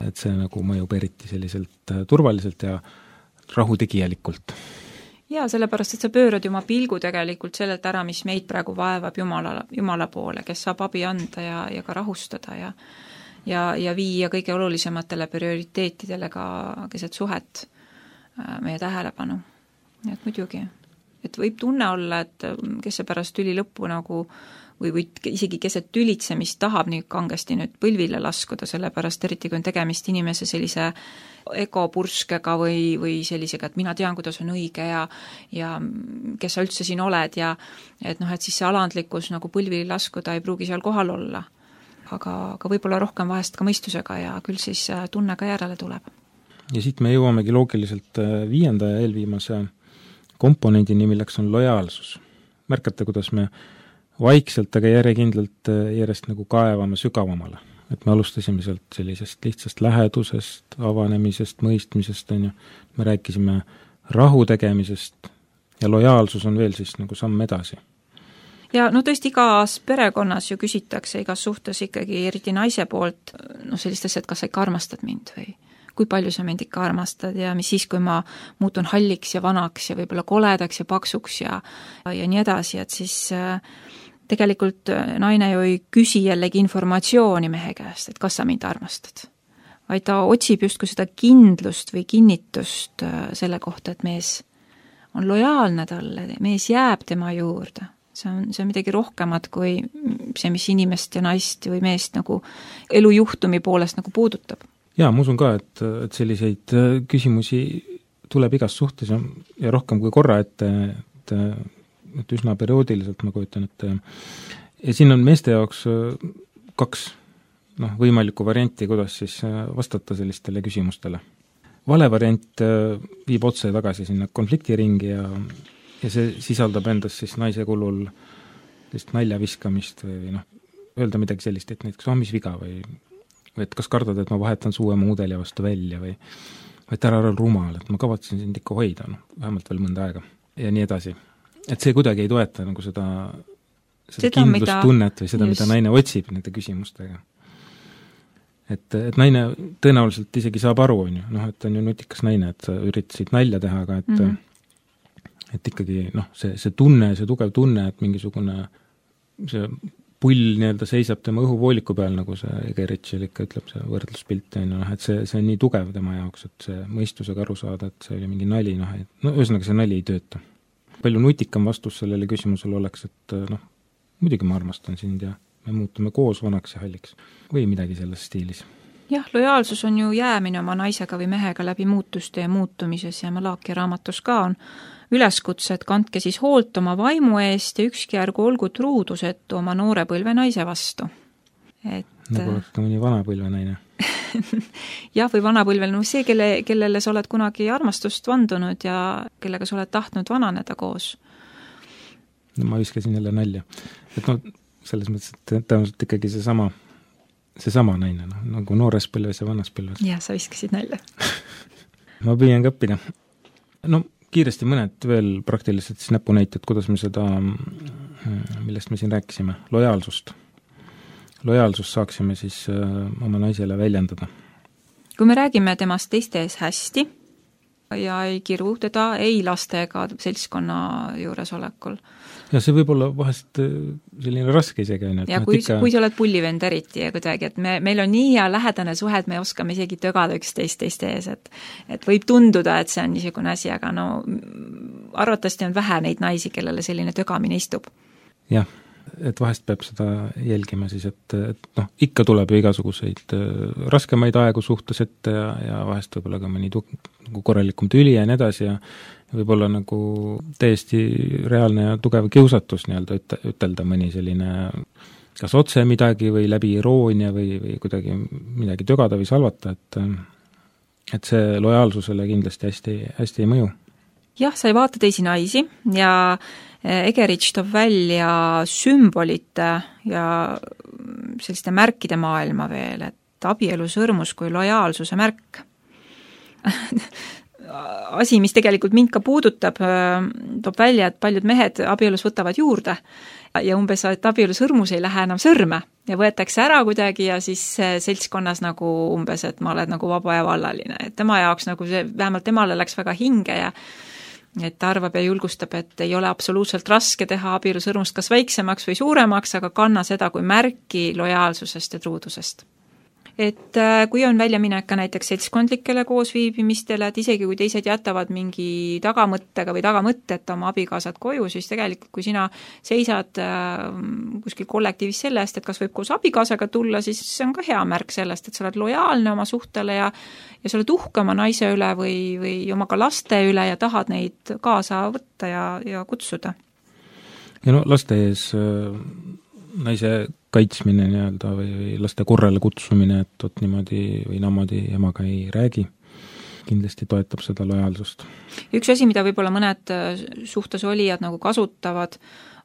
Et see nagu mõjub eriti selliselt turvaliselt ja rahutegijalikult. Jaa, sellepärast, et sa pöörad oma pilgu tegelikult sellelt ära, mis meid praegu vaevab Jumala poole, kes saab abi anda ja ka rahustada ja viia kõige olulisematele prioriteetidele ka keset suhet meie tähelepanu. Nii et muidugi, et võib tunne olla, et kes see pärast tüli lõppu nagu või isegi keset tülitsemist tahab nii kangesti nüüd põlvile laskuda, sellepärast eriti kui on tegemist inimese sellise egopurskega või sellisega, et mina tean, kuidas on õige ja kes sa üldse siin oled ja et siis see alandlikkus nagu põlvili laskuda ei pruugi seal kohal olla. Aga võib-olla rohkem vahest ka mõistusega ja küll siis tunne ka järele tuleb. Ja siit me jõuamegi loogiliselt 5. ja eelviimase komponendini, milleks on lojaalsus. Märkate, kuidas me vaikselt, aga järjekindlalt järjest nagu kaevame sügavamale. Et me alustasime sealt sellisest lihtsast lähedusest, avanemisest, mõistmisest, me rääkisime rahu tegemisest ja lojaalsus on veel siis nagu samm edasi. Ja tõesti igas perekonnas ju küsitakse igas suhtes ikkagi eriti naise poolt sellist asja, et kas sa ikka armastad mind või kui palju sa mind ikka armastad ja mis siis, kui ma muutun halliks ja vanaks ja võib-olla koledaks ja paksuks ja nii edasi, et siis tegelikult naine ju ei küsi jällegi informatsiooni mehe käest, et kas sa mind armastad, vaid ta otsib justkui seda kindlust või kinnitust selle kohta, et mees on lojaalne talle, mees jääb tema juurde. See on midagi rohkemat kui see, mis inimest ja naist või meest nagu elujuhtumi poolest nagu puudutab. Jaa, ma usun ka, et selliseid küsimusi tuleb igas suhtes ja rohkem kui korra, et üsna perioodiliselt ma kujutan, et ja siin on meeste jaoks 2 võimalikku varianti, kuidas siis vastata sellistele küsimustele. Vale variant viib otse tagasi sinna konfliktiringi ja see sisaldab endas siis naise kulul nalja viskamist või öelda midagi sellist, et näiteks mis viga või et kas kardad, et ma vahetan su uue mudeli vastu välja või et ära rumal, et ma kavatsen sind ikka hoida, vähemalt veel mõnda aega ja nii edasi. Et see kuidagi ei toeta nagu seda kindlustunnet või seda, mida naine otsib nende küsimustega. Et naine tõenäoliselt isegi saab aru, et on ju nutikas naine, et sa üritasid nalja teha, aga et ikkagi see tunne, see tugev tunne, et mingisugune see pull nii-öelda seisab tema õhuvooliku peal, nagu see Egeritšil ikka ütleb, see võrdluspilt, et see on nii tugev tema jaoks, et see mõistusega aru saada, et see oli mingi nali, ühesõnaga see nali ei tööta. Palju nutikam vastus sellele küsimusele oleks, et muidugi ma armastan sind ja me muutume koos vanaks ja halliks või midagi selles stiilis. Jah, lojaalsus on ju jäämine oma naisega või mehega läbi muutuste ja muutumises ja Malachi raamatus ka on üleskutse, et kandke siis hoolt oma vaimu eest ja ükski ärgu olgu truudusetu oma noore põlve naise vastu. Nagu oleks ka mõni vanapõlve naine. Jah, või vanapõlvel, see, kellele sa oled kunagi armastust vandunud ja kellega sa oled tahtnud vananeda koos. Ma viskasin jälle nalja. Et selles mõttes, et tõenäoliselt ikkagi seesama naine, nagu noores põlves ja vanas põlves. Jah, sa viskasid nalja. Ma püüan ka õppida. Kiiresti mõned veel praktiliselt siis näpunäited, kuidas me seda, millest me siin rääkisime, lojaalsust saaksime siis oma naisele väljendada. Kui me räägime temast teiste ees hästi ja ei kiru teda ei laste ega seltskonna juuresolekul. Ja see võib olla vahest selline raske isegi. Ja kui sa oled pullivend eriti ja kuidagi, et meil on nii hea lähedane suhe, et me oskame isegi tögada üksteist teiste ees, et võib tunduda, et see on niisugune asi, aga arvatavasti on vähe neid naisi, kellele selline tögamine istub. Jah, et vahest peab seda jälgima siis, et ikka tuleb ju igasuguseid raskemaid aegu suhtes ette ja vahest võib-olla ka mõni korralikum tüli ja nii edasi ja võib-olla nagu täiesti reaalne ja tugev kiusatus nii-öelda ütelda mõni selline kas otse midagi või läbi iroonia või kuidagi midagi tögada või salvata, et see lojaalsusele kindlasti hästi ei mõju. Jah, sa ei vaata teisi naisi ja Egerich toob välja sümbolite ja selliste märkide maailma veel, et abielu sõrmus kui lojaalsuse märk. Asi, mis tegelikult mind ka puudutab, toob välja, et paljud mehed abielus võtavad juurde ja umbes, et abielu sõrmus ei lähe enam sõrme ja võetakse ära kuidagi ja siis seltskonnas nagu umbes, et ma olen nagu vaba ja vallaline. Et tema jaoks nagu see, vähemalt temale läks väga hinge et ta arvab ja julgustab, et ei ole absoluutselt raske teha abielusõrmust kas väiksemaks või suuremaks, aga kanna seda kui märki lojaalsusest ja truudusest. Et kui on väljaminek ka näiteks seltskondlikele koosviibimistele, et isegi kui teised jätavad mingi tagamõttega või tagamõtteta oma abikaasad koju, siis tegelikult kui sina seisad kuskil kollektiivis selle eest, et kas võib koos abikaasaga tulla, siis see on ka hea märk sellest, et sa oled lojaalne oma suhtele ja sa oled uhke oma naise üle või oma ka laste üle ja tahad neid kaasa võtta ja kutsuda. Ja laste ees naise kaitsmine nii-öelda või laste korrale kutsumine, et niimoodi või namoodi emaga ei räägi, kindlasti toetab seda lojaalsust. Üks asi, mida võib-olla mõned suhtes olijad nagu kasutavad,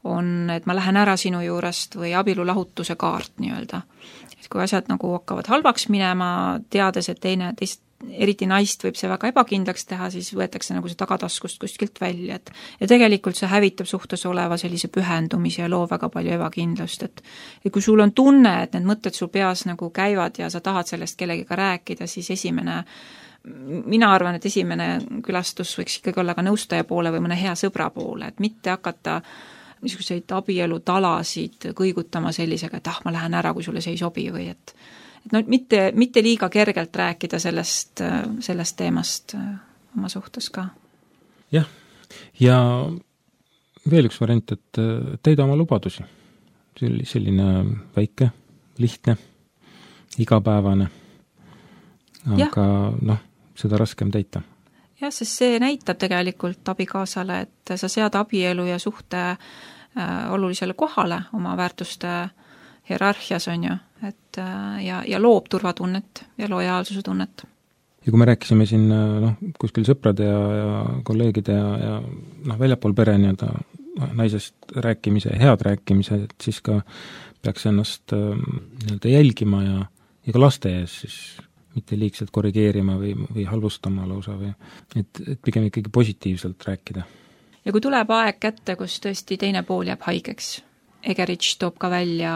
on, et ma lähen ära sinu juurest või abielulahutuse kaart nii-öelda. Et kui asjad nagu hakkavad halvaks minema, teades, et teist eriti naist võib see väga ebakindlaks teha, siis võetakse nagu see tagataskust kuskilt välja, ja tegelikult see hävitab suhtes oleva sellise pühendumise ja loob väga palju ebakindlust, et kui sul on tunne, et need mõtted sul peas nagu käivad ja sa tahad sellest kellegiga rääkida, siis mina arvan, et esimene külastus võiks ikkagi olla ka nõustaja poole või mõne hea sõbra poole, et mitte hakata niisuguseid abielutalasid kõigutama sellisega, et ma lähen ära, kui sulle see ei sobi või et mitte liiga kergelt rääkida sellest teemast oma suhtes ka. Jah, ja veel üks variant, et täida oma lubadusi. Selline väike, lihtne, igapäevane, aga seda raskem täita. Jah, sest see näitab tegelikult abikaasale, et sa sead abielu ja suhte olulisele kohale oma väärtuste hierarhias on ju, et ja loob turvatunnet ja lojaalsuse tunnet. Ja kui me rääkisime siin kuskil sõprade ja kolleegide ja väljapool pere nii-öelda naisest rääkimise, head rääkimise, et siis ka peaks ennast nii-öelda jälgima ja ka laste ees siis mitte liigselt korrigeerima või halvustama lausa või et pigem ikkagi positiivselt rääkida. Ja kui tuleb aeg kätte, kus tõesti teine pool jääb haigeks, Egerich toob ka välja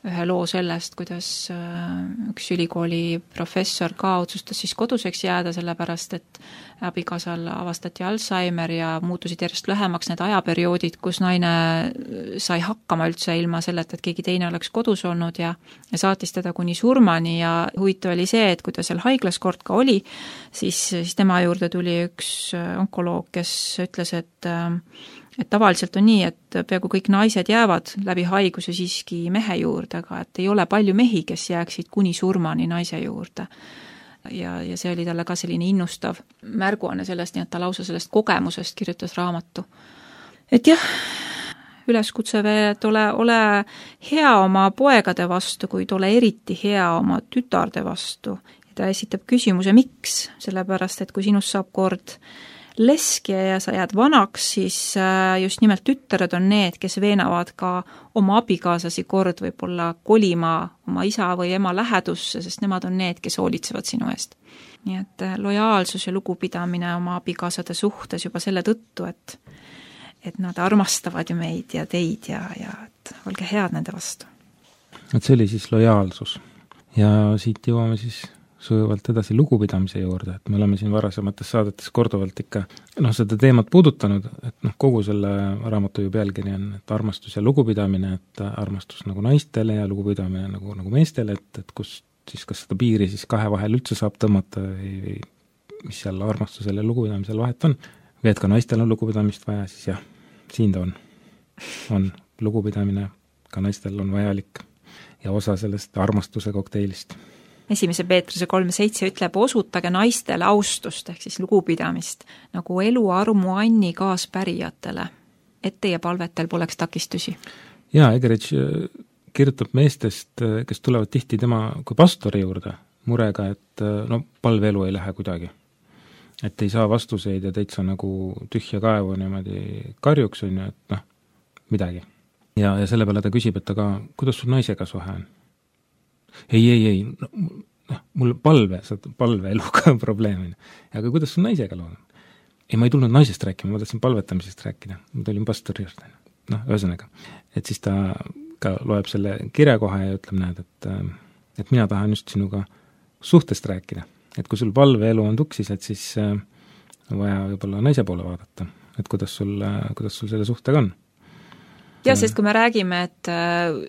ühe loo sellest, kuidas üks ülikooli professor ka otsustas siis koduseks jääda, sellepärast et abikaasal avastati Alzheimer ja muutusid järjest lühemaks need ajaperioodid, kus naine sai hakkama üldse ilma selleta, et keegi teine oleks kodus olnud ja saatis teda kuni surmani ja huvitav oli see, et kui ta seal haiglas kord ka oli, siis tema juurde tuli üks onkoloog, kes ütles, et tavaliselt on nii, et peaaegu kõik naised jäävad läbi haiguse siiski mehe juurde, aga et ei ole palju mehi, kes jääksid kuni surmani naise juurde. Ja see oli talle ka selline innustav märguanne sellest, nii et ta lausa sellest kogemusest kirjutas raamatu. Et jah, üleskutse veel, et ole hea oma poegade vastu, kuid ole eriti hea oma tütarde vastu. Ja ta esitab küsimuse, miks? Sellepärast, et kui sinust saab kord leski ja sa jääd vanaks, siis just nimelt tütred on need, kes veenavad ka oma abikaasasi kord võib-olla kolima oma isa või ema lähedusse, sest nemad on need, kes hoolitsevad sinu eest. Nii et lojaalsus ja lugupidamine oma abikaasade suhtes juba selle tõttu, et nad armastavad ju meid ja teid ja et olge head nende vastu. Et see oli siis lojaalsus. Ja siit jõuame siis sujuvalt edasi lugupidamise juurde, et me oleme siin varasemates saadetes korduvalt ikka seda teemat puudutanud, et kogu selle raamatu ju pealkiri on, et armastus ja lugupidamine, et armastus nagu naistele ja lugupidamine nagu meestele, et kus siis kas seda piiri siis kahe vahel üldse saab tõmmata või mis seal armastusel ja lugupidamisel vahet on. Või et ka naistel on lugupidamist vaja, siis jah, siin ta on lugupidamine, ka naistel on vajalik ja osa sellest armastuse kokteilist. Esimese Peetruse 3.7 ütleb, osutage naistele austust ehk siis lugupidamist nagu elu armu anni kaaspärijatele, et teie palvetel poleks takistusi. Jaa, Egerich kirjutab meestest, kes tulevad tihti tema kui pastori juurde murega, et palveelu ei lähe kuidagi. Et ei saa vastuseid ja täitsa nagu tühja kaevu niimoodi karjuks on ju, et midagi. Ja selle peale ta küsib, et aga kuidas sul naisega suhe on? Ei, mul palveeluga probleem. Aga kuidas sul naisega loo on? Ei, ma ei tulnud naisest rääkima, ma tahtsin palvetamisest rääkida. Ma tulin pastori juurde. Ühesõnaga. Et siis ta ka loeb selle kirja kohe ja ütleb, näed, et mina tahan just sinuga suhtest rääkida. Et kui sul palveelu on tuksis, et siis on vaja võib-olla naise poole vaadata, et kuidas sul selle suhtega on. Ja, sest kui me räägime, et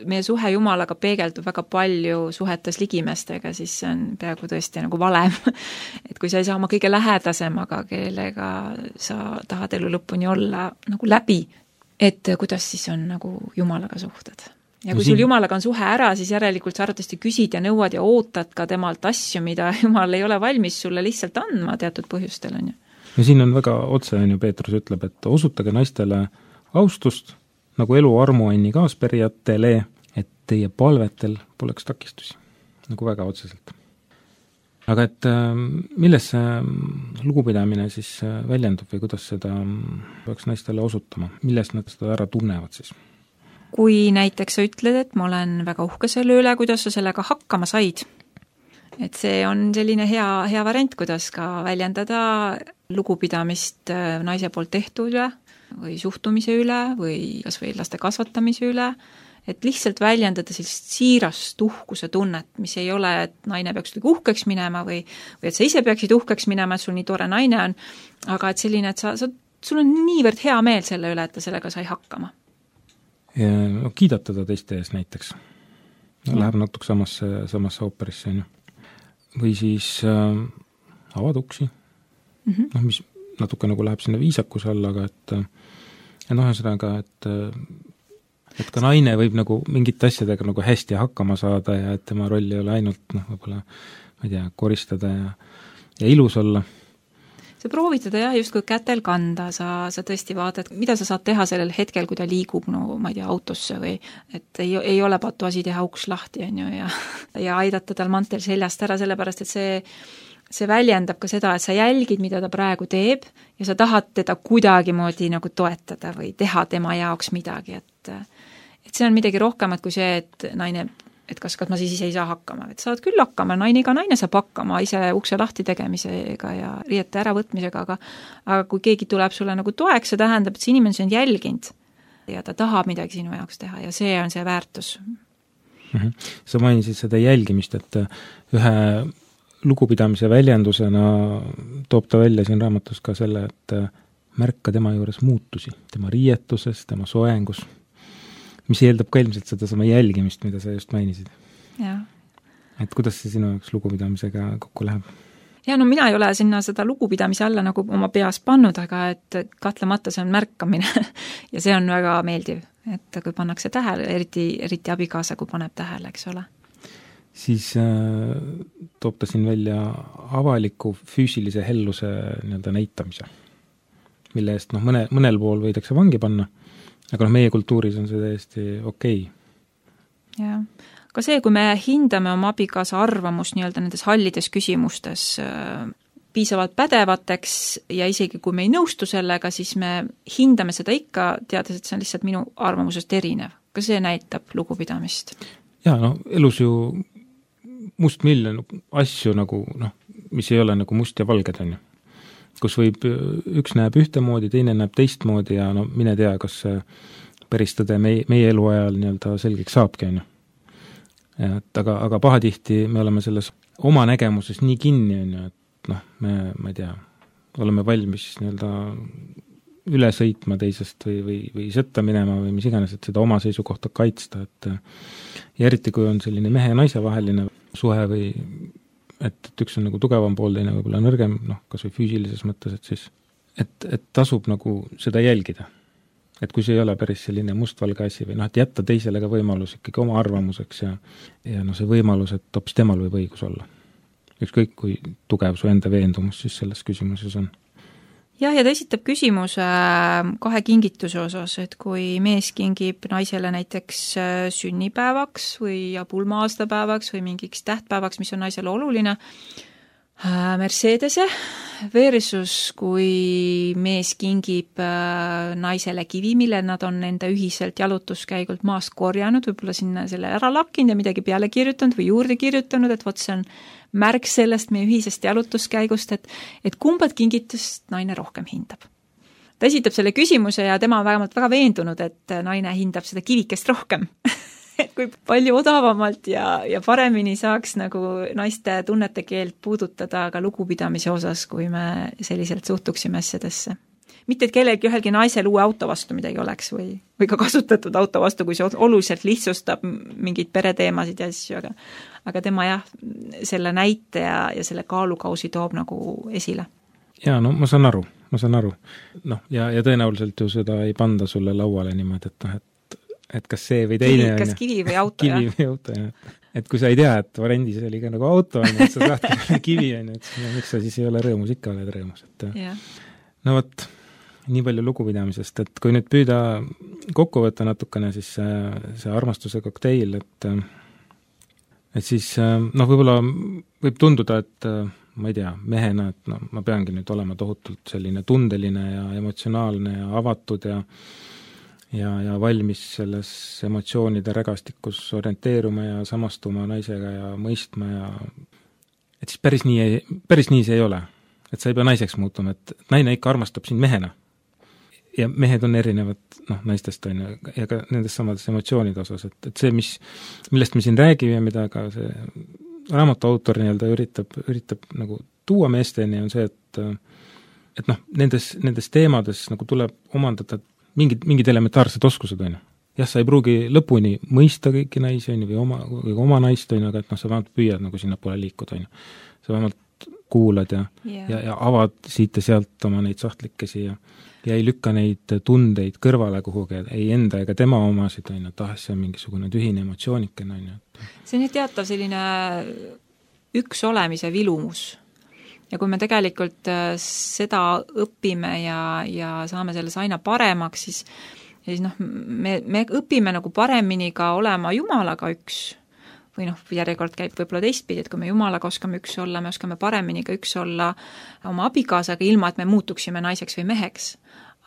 meie suhe Jumalaga peegeldub väga palju suhetes ligimestega, siis see on peaaegu tõesti nagu valem. Et kui sa ei saa oma kõige lähedasemaga, kellega sa tahad elu lõpuni olla nagu läbi, et kuidas siis on nagu Jumalaga suhted. Ja kui sul Jumalaga on suhe ära, siis järelikult sa arvatavasti küsid ja nõuad ja ootad ka temalt asju, mida Jumal ei ole valmis sulle lihtsalt andma teatud põhjustel, on ju. Ja siin on väga otse, on ju, Peetrus ütleb, et osutage naistele austust, nagu elu armuanni kaasperijatele, et teie palvetel poleks takistusi. Nagu väga otseselt. Aga et milles see lugupidamine siis väljendub või kuidas seda peaks naistele osutama? Milles nad seda ära tunnevad siis? Kui näiteks sa ütled, et ma olen väga uhke selle üle, kuidas sa sellega hakkama said, et see on selline hea variant, kuidas ka väljendada lugupidamist naise poolt tehtud üle või suhtumise üle või kas või laste kasvatamise üle, et lihtsalt väljendada sellist siirast uhkuse tunnet, mis ei ole, et naine peaks uhkeks minema või et sa ise peaksid uhkeks minema, et sul nii tore naine on, aga et selline, et sul on niivõrd hea meel selle üle, et ta sellega sai hakkama. Ja kiidatada teiste ees näiteks. Läheb natuke samasse ooperisse, on ju. Või siis avad uksi. Mis natuke nagu läheb sinna viisakuse alla, aga et ühesõnaga, et ka naine võib nagu mingite asjadega nagu hästi hakkama saada ja et tema roll ei ole ainult võib-olla, ma ei tea, koristada ja ilus olla. Sa proovid teda justkui kätel kanda, sa tõesti vaatad, mida sa saad teha sellel hetkel, kui ta liigub, ma ei tea, autosse või et ei ole patuasi teha uks lahti, on ju, ja aidata tal mantel seljast ära, sellepärast, et see väljendab ka seda, et sa jälgid, mida ta praegu teeb ja sa tahad teda kuidagimoodi nagu toetada või teha tema jaoks midagi, et see on midagi rohkemat kui see, et naine, et kas ma siis ise ei saa hakkama, et saad küll hakkama, iga naine saab hakkama ise ukse lahti tegemisega ja riiete äravõtmisega, aga kui keegi tuleb sulle nagu toeks, see tähendab, et see inimene on jälginud ja ta tahab midagi sinu jaoks teha ja see on see väärtus. Sa mainisid seda jälgimist, et ühe lugupidamise väljendusena toob ta välja siin raamatus ka selle, et märka tema juures muutusi, tema riietuses, tema soengus, mis eeldab ka ilmselt seda sama jälgimist, mida sa just mainisid. Ja. Et kuidas see sinu jaoks lugupidamisega kokku läheb? Ja mina ei ole sinna seda lugupidamise alla nagu oma peas pannud, aga et kahtlemata see on märkamine ja see on väga meeldiv, et kui pannakse tähele, eriti abikaasa, kui paneb tähele, eks ole. Siis toob ta siin välja avaliku füüsilise helluse näitamise, mille eest mõnel pool võidakse vangi panna, aga meie kultuuris on see täiesti okei. Ja, ka see, kui me hindame oma abikaasa arvamust nendes hallides küsimustes piisavalt pädevateks ja isegi kui me ei nõustu sellega, siis me hindame seda ikka, teades, et see on lihtsalt minu arvamusest erinev. Ka see näitab lugupidamist. Ja, elus ju mustmiljon asju mis ei ole nagu must ja valged, on ju. Kus võib, üks näeb ühtemoodi, teine näeb teistmoodi ja mine tea, kas päris tõde meie eluajal selgeks saabki, on ju. Aga pahatihti me oleme selles oma nägemuses nii kinni, on ju, et ma ei tea, oleme valmis üle sõitma teisest või sõtta minema või mis iganes, et seda oma seisukohta kaitsta, ja eriti kui on selline mehe ja naise vaheline suhe või et üks on nagu tugevam pool, teine võib-olla nõrgem, kas või füüsilises mõttes, et siis et tasub nagu seda jälgida. Et kui see ei ole päris selline mustvalge asi või et jätta teisele ka võimalus ikkagi oma arvamuseks ja see võimalus, et hoopis temal võib õigus olla. Ükskõik kui tugev su enda veendumus siis selles küsimuses on. Ja ta esitab küsimuse 2 kingituse osas, et kui mees kingib naisele näiteks sünnipäevaks või pulma-aastapäevaks või mingiks tähtpäevaks, mis on naisele oluline, Mercedese versus kui mees kingib naisele kivi, mille nad on enda ühiselt jalutuskäigult maast korjanud, võib-olla sinna selle ära lakkinud ja midagi peale kirjutanud või juurde kirjutanud, et vot see on märk sellest meie ühisest jalutuskäigust, et kumbad kingitust naine rohkem hindab. Ta esitab selle küsimuse ja tema on vähemalt väga veendunud, et naine hindab seda kivikest rohkem. et kui palju odavamalt ja paremini saaks nagu naiste tunnete keelt puudutada ka lugupidamise osas, kui me selliselt suhtuksime asjadesse. Mitte, et kellegi ühelgi naisel uue auto vastu midagi oleks või ka kasutatud auto vastu, kui see oluliselt lihtsustab mingeid pereteemasid ja asju, aga tema jah, selle näite ja selle kaalukausi toob nagu esile. Jaa, no ma saan aru. Noh, ja tõenäoliselt ju seda ei panda sulle lauale niimoodi, et kas see või teine kas kivi või auto, kivi või auto, jah. Et kui sa ei tea, et varendis oli ka nagu auto, et sa saad kivi, et miks sa siis ei ole rõõmus, ikka oled rõõmus. No vot, nii palju lugupidamisest, et kui nüüd püüda kokku võtta natukene, siis see armastuse kokteil, et siis võib-olla võib tunduda, et ma ei tea, mehena, et ma peangi nüüd olema tohutult selline tundeline ja emotsionaalne ja avatud ja valmis selles emotsioonide rägastikus orienteeruma ja samastuma naisega ja mõistma ja et siis päris nii see ei ole. Et sa ei pea naiseks muutuma, et naine ikka armastab sind mehena. Ja mehed on erinevad naistest on ja ka nendest samades emotsioonide osas, et see, millest me siin räägime, mida ka see raamatu autor üritab nagu tuua meesteni, on see, et nendes teemades nagu tuleb omandada mingid elementaarsed oskused, on ju. Jah, sa ei pruugi lõpuni mõista kõiki naisi, on ju, või oma naist, on ju, aga et sa vähemalt püüad nagu sinna poole liikuda, on ju. Sa vähemalt kuulad ja avad siit ja sealt oma neid sahtlikesi ja ei lükka neid tundeid kõrvale kuhugi, ei enda ega tema omasid, on ju, see on mingisugune tühine emotsiooniken, on ju. See on nüüd teatav selline üks olemise vilumus. Ja kui me tegelikult seda õpime ja saame selles aina paremaks, siis me õpime nagu paremini ka olema Jumalaga üks. Või järjekord käib võib-olla teistpidi, et kui me Jumalaga oskame üks olla, me oskame paremini ka üks olla oma abikaasaga, ilma et me muutuksime naiseks või meheks.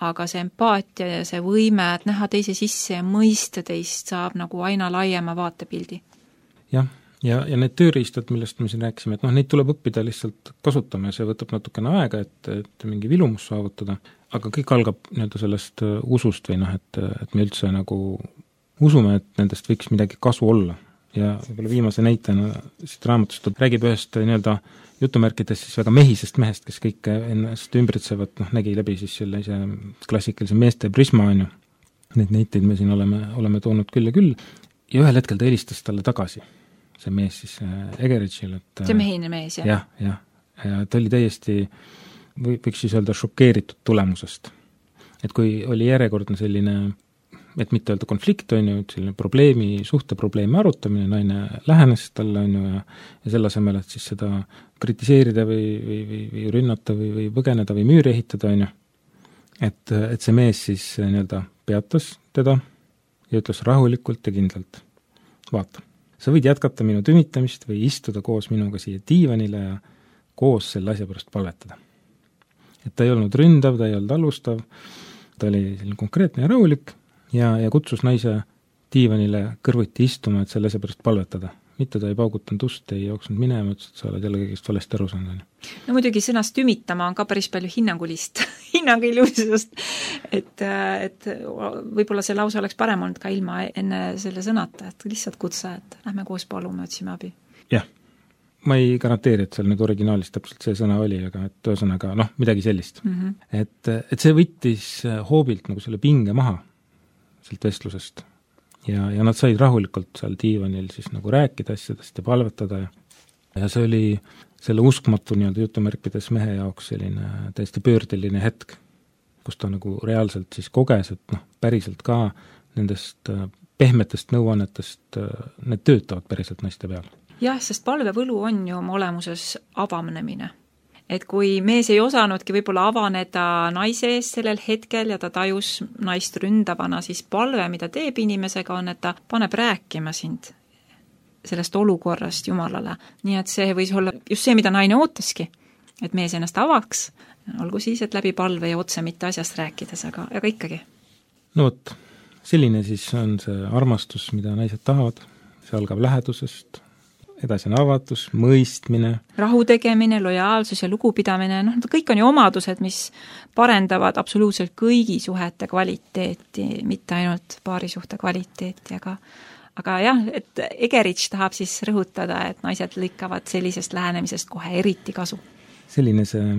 Aga see empaatia ja see võime, et näha teise sisse ja mõista teist, saab nagu aina laiema vaatepildi. Jah, ja need tööriistad, millest me siin rääkisime, et neid tuleb õppida lihtsalt kasutama ja see võtab natukene aega, et mingi vilumus saavutada, aga kõik algab sellest usust või et me üldse nagu usume, et nendest võiks midagi kasu olla. Ja võib-olla viimase näitena siit raamatust räägib ühest jutumärkides siis väga mehisest mehest, kes kõik ennast ümbritsevad, nägi läbi siis sellise klassikalise meeste prisma, on ju. Neid näiteid me siin oleme toonud küll ja küll. Ja ühel hetkel ta helistas talle tagasi, see mees siis Egeridžil. See mehine mees, jah? Ja ta oli täiesti, võiks siis öelda, šokeeritud tulemusest. Et kui oli järjekordne selline, et mitte öelda konflikt, on ju, selline suhteprobleemi arutamine, naine lähenes talle, on ju, ja selle asemel, et siis seda kritiseerida või rünnata või põgeneda või müüri ehitada, on ju. Et see mees siis peatas teda ja ütles rahulikult ja kindlalt, vaata, sa võid jätkata minu tümitamist või istuda koos minuga siia diivanile ja koos selle asja pärast palvetada. Et ta ei olnud ründav, ta ei olnud alustav, ta oli selline konkreetne ja rahulik ja kutsus naise diivanile kõrvuti istuma, et selle asja pärast palvetada. Mitte ta ei paugutanud ust, ei jooksnud minema, ütles, et sa oled jälle kõigest valesti aru saanud. No muidugi sõnast tümitama on ka päris palju hinnanguilusust, et võib-olla see lause oleks parem olnud ka ilma enne selle sõnata, et lihtsalt kutsa, et lähme koos palume, otsime abi. Jah, ma ei garanteeri, et seal nüüd originaalis täpselt see sõna oli, aga et ühesõnaga, midagi sellist. Et see võttis hoobilt nagu selle pinge maha sealt vestlusest. Ja nad said rahulikult seal diivanil siis nagu rääkida asjadest ja palvetada ja see oli selle uskmatu jutumärkides mehe jaoks selline täiesti pöördeline hetk, kus ta nagu reaalselt siis koges, et päriselt ka nendest pehmetest nõuannetest, need töötavad päriselt naiste peal. Jah, sest palvevõlu on ju oma olemuses avanemine. Et kui mees ei osanudki võib-olla avaneda naise ees sellel hetkel ja ta tajus naist ründavana, siis palve, mida teeb inimesega, on, et ta paneb rääkima sind sellest olukorrast Jumalale. Nii et see võis olla just see, mida naine ootaski, et mees ennast avaks, olgu siis, et läbi palve ja otse mitte asjast rääkides, aga ikkagi. No vot, selline siis on see armastus, mida naised tahavad, see algab lähedusest, edasi on avatus, mõistmine. Rahu tegemine, lojaalsus ja lugupidamine, kõik on ju omadused, mis parendavad absoluutselt kõigi suhete kvaliteeti, mitte ainult paarisuhte kvaliteeti, aga jah, et Egerich tahab siis rõhutada, et naised lõikavad sellisest lähenemisest kohe eriti kasu. Selline see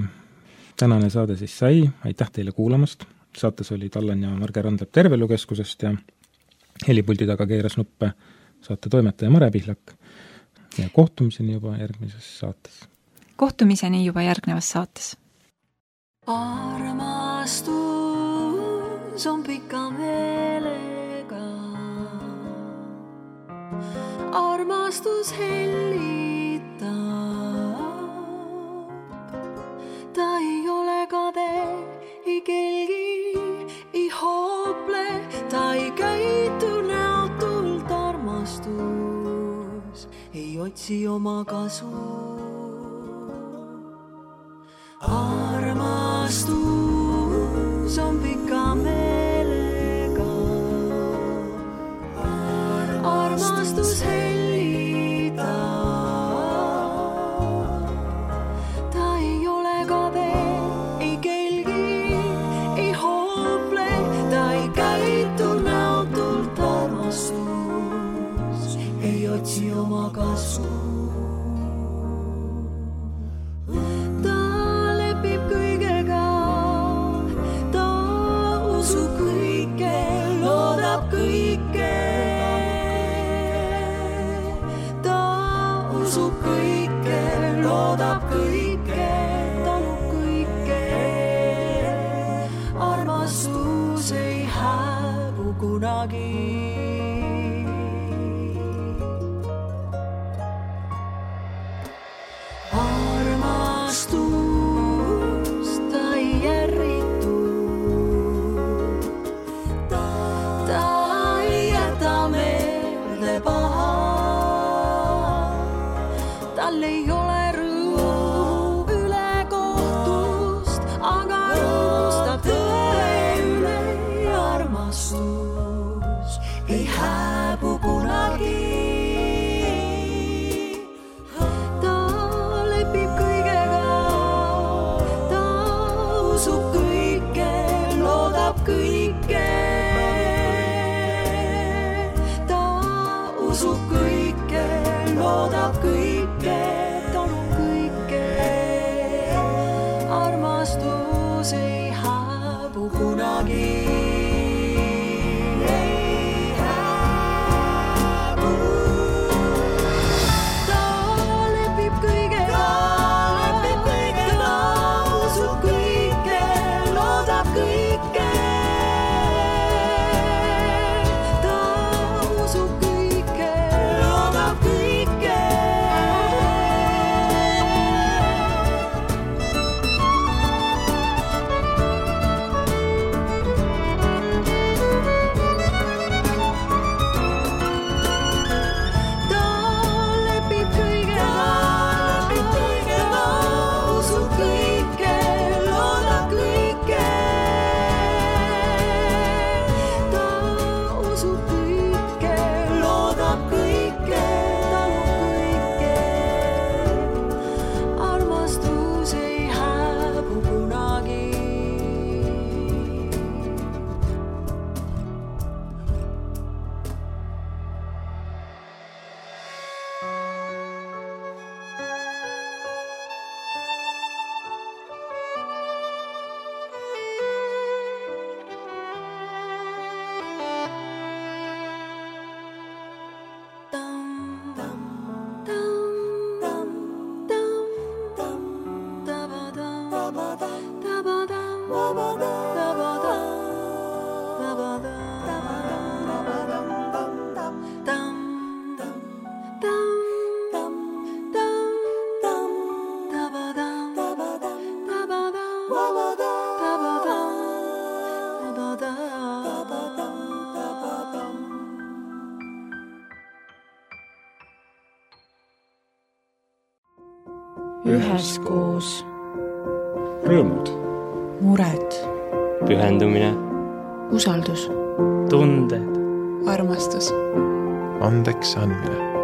tänane saade siis sai, aitäh teile kuulamast. Saates olid Allan ja Marge Randlep Tervelukeskusest ja helipuldi taga keeras nuppe saate toimetaja Mare Pihlak. Ja kohtumiseni juba järgmises saates. Kohtumiseni juba järgnevas saates. Armastus on pika meelega. Armastus hellitab. Ta ei ole kade, ei kelgi, ei hoople. Ta ei käitu näotult armastus. Ei otsi oma kasu. Armastus on pika meelega. Armastus hellitab. Ta ei ole kade, ei kelgi, ei hoople. Ta ei käitu näotult armastus. Ei otsi oma kasu. Armastus ei hääbu kunagi. Armastus ta ei järritu. Ta ei jäta meelde paha. Tal ei ole ei hääbu kunagi. Ta lepib kõigega, ta usub kõike, loodab kõike. Ta usub kõike, loodab kõike, talub kõike. Armastus ei hääbu kunagi. Üheskoos. Rõõmud. Mured. Pühendumine. Usaldus. Tunded. Armastus. Andeks andmine.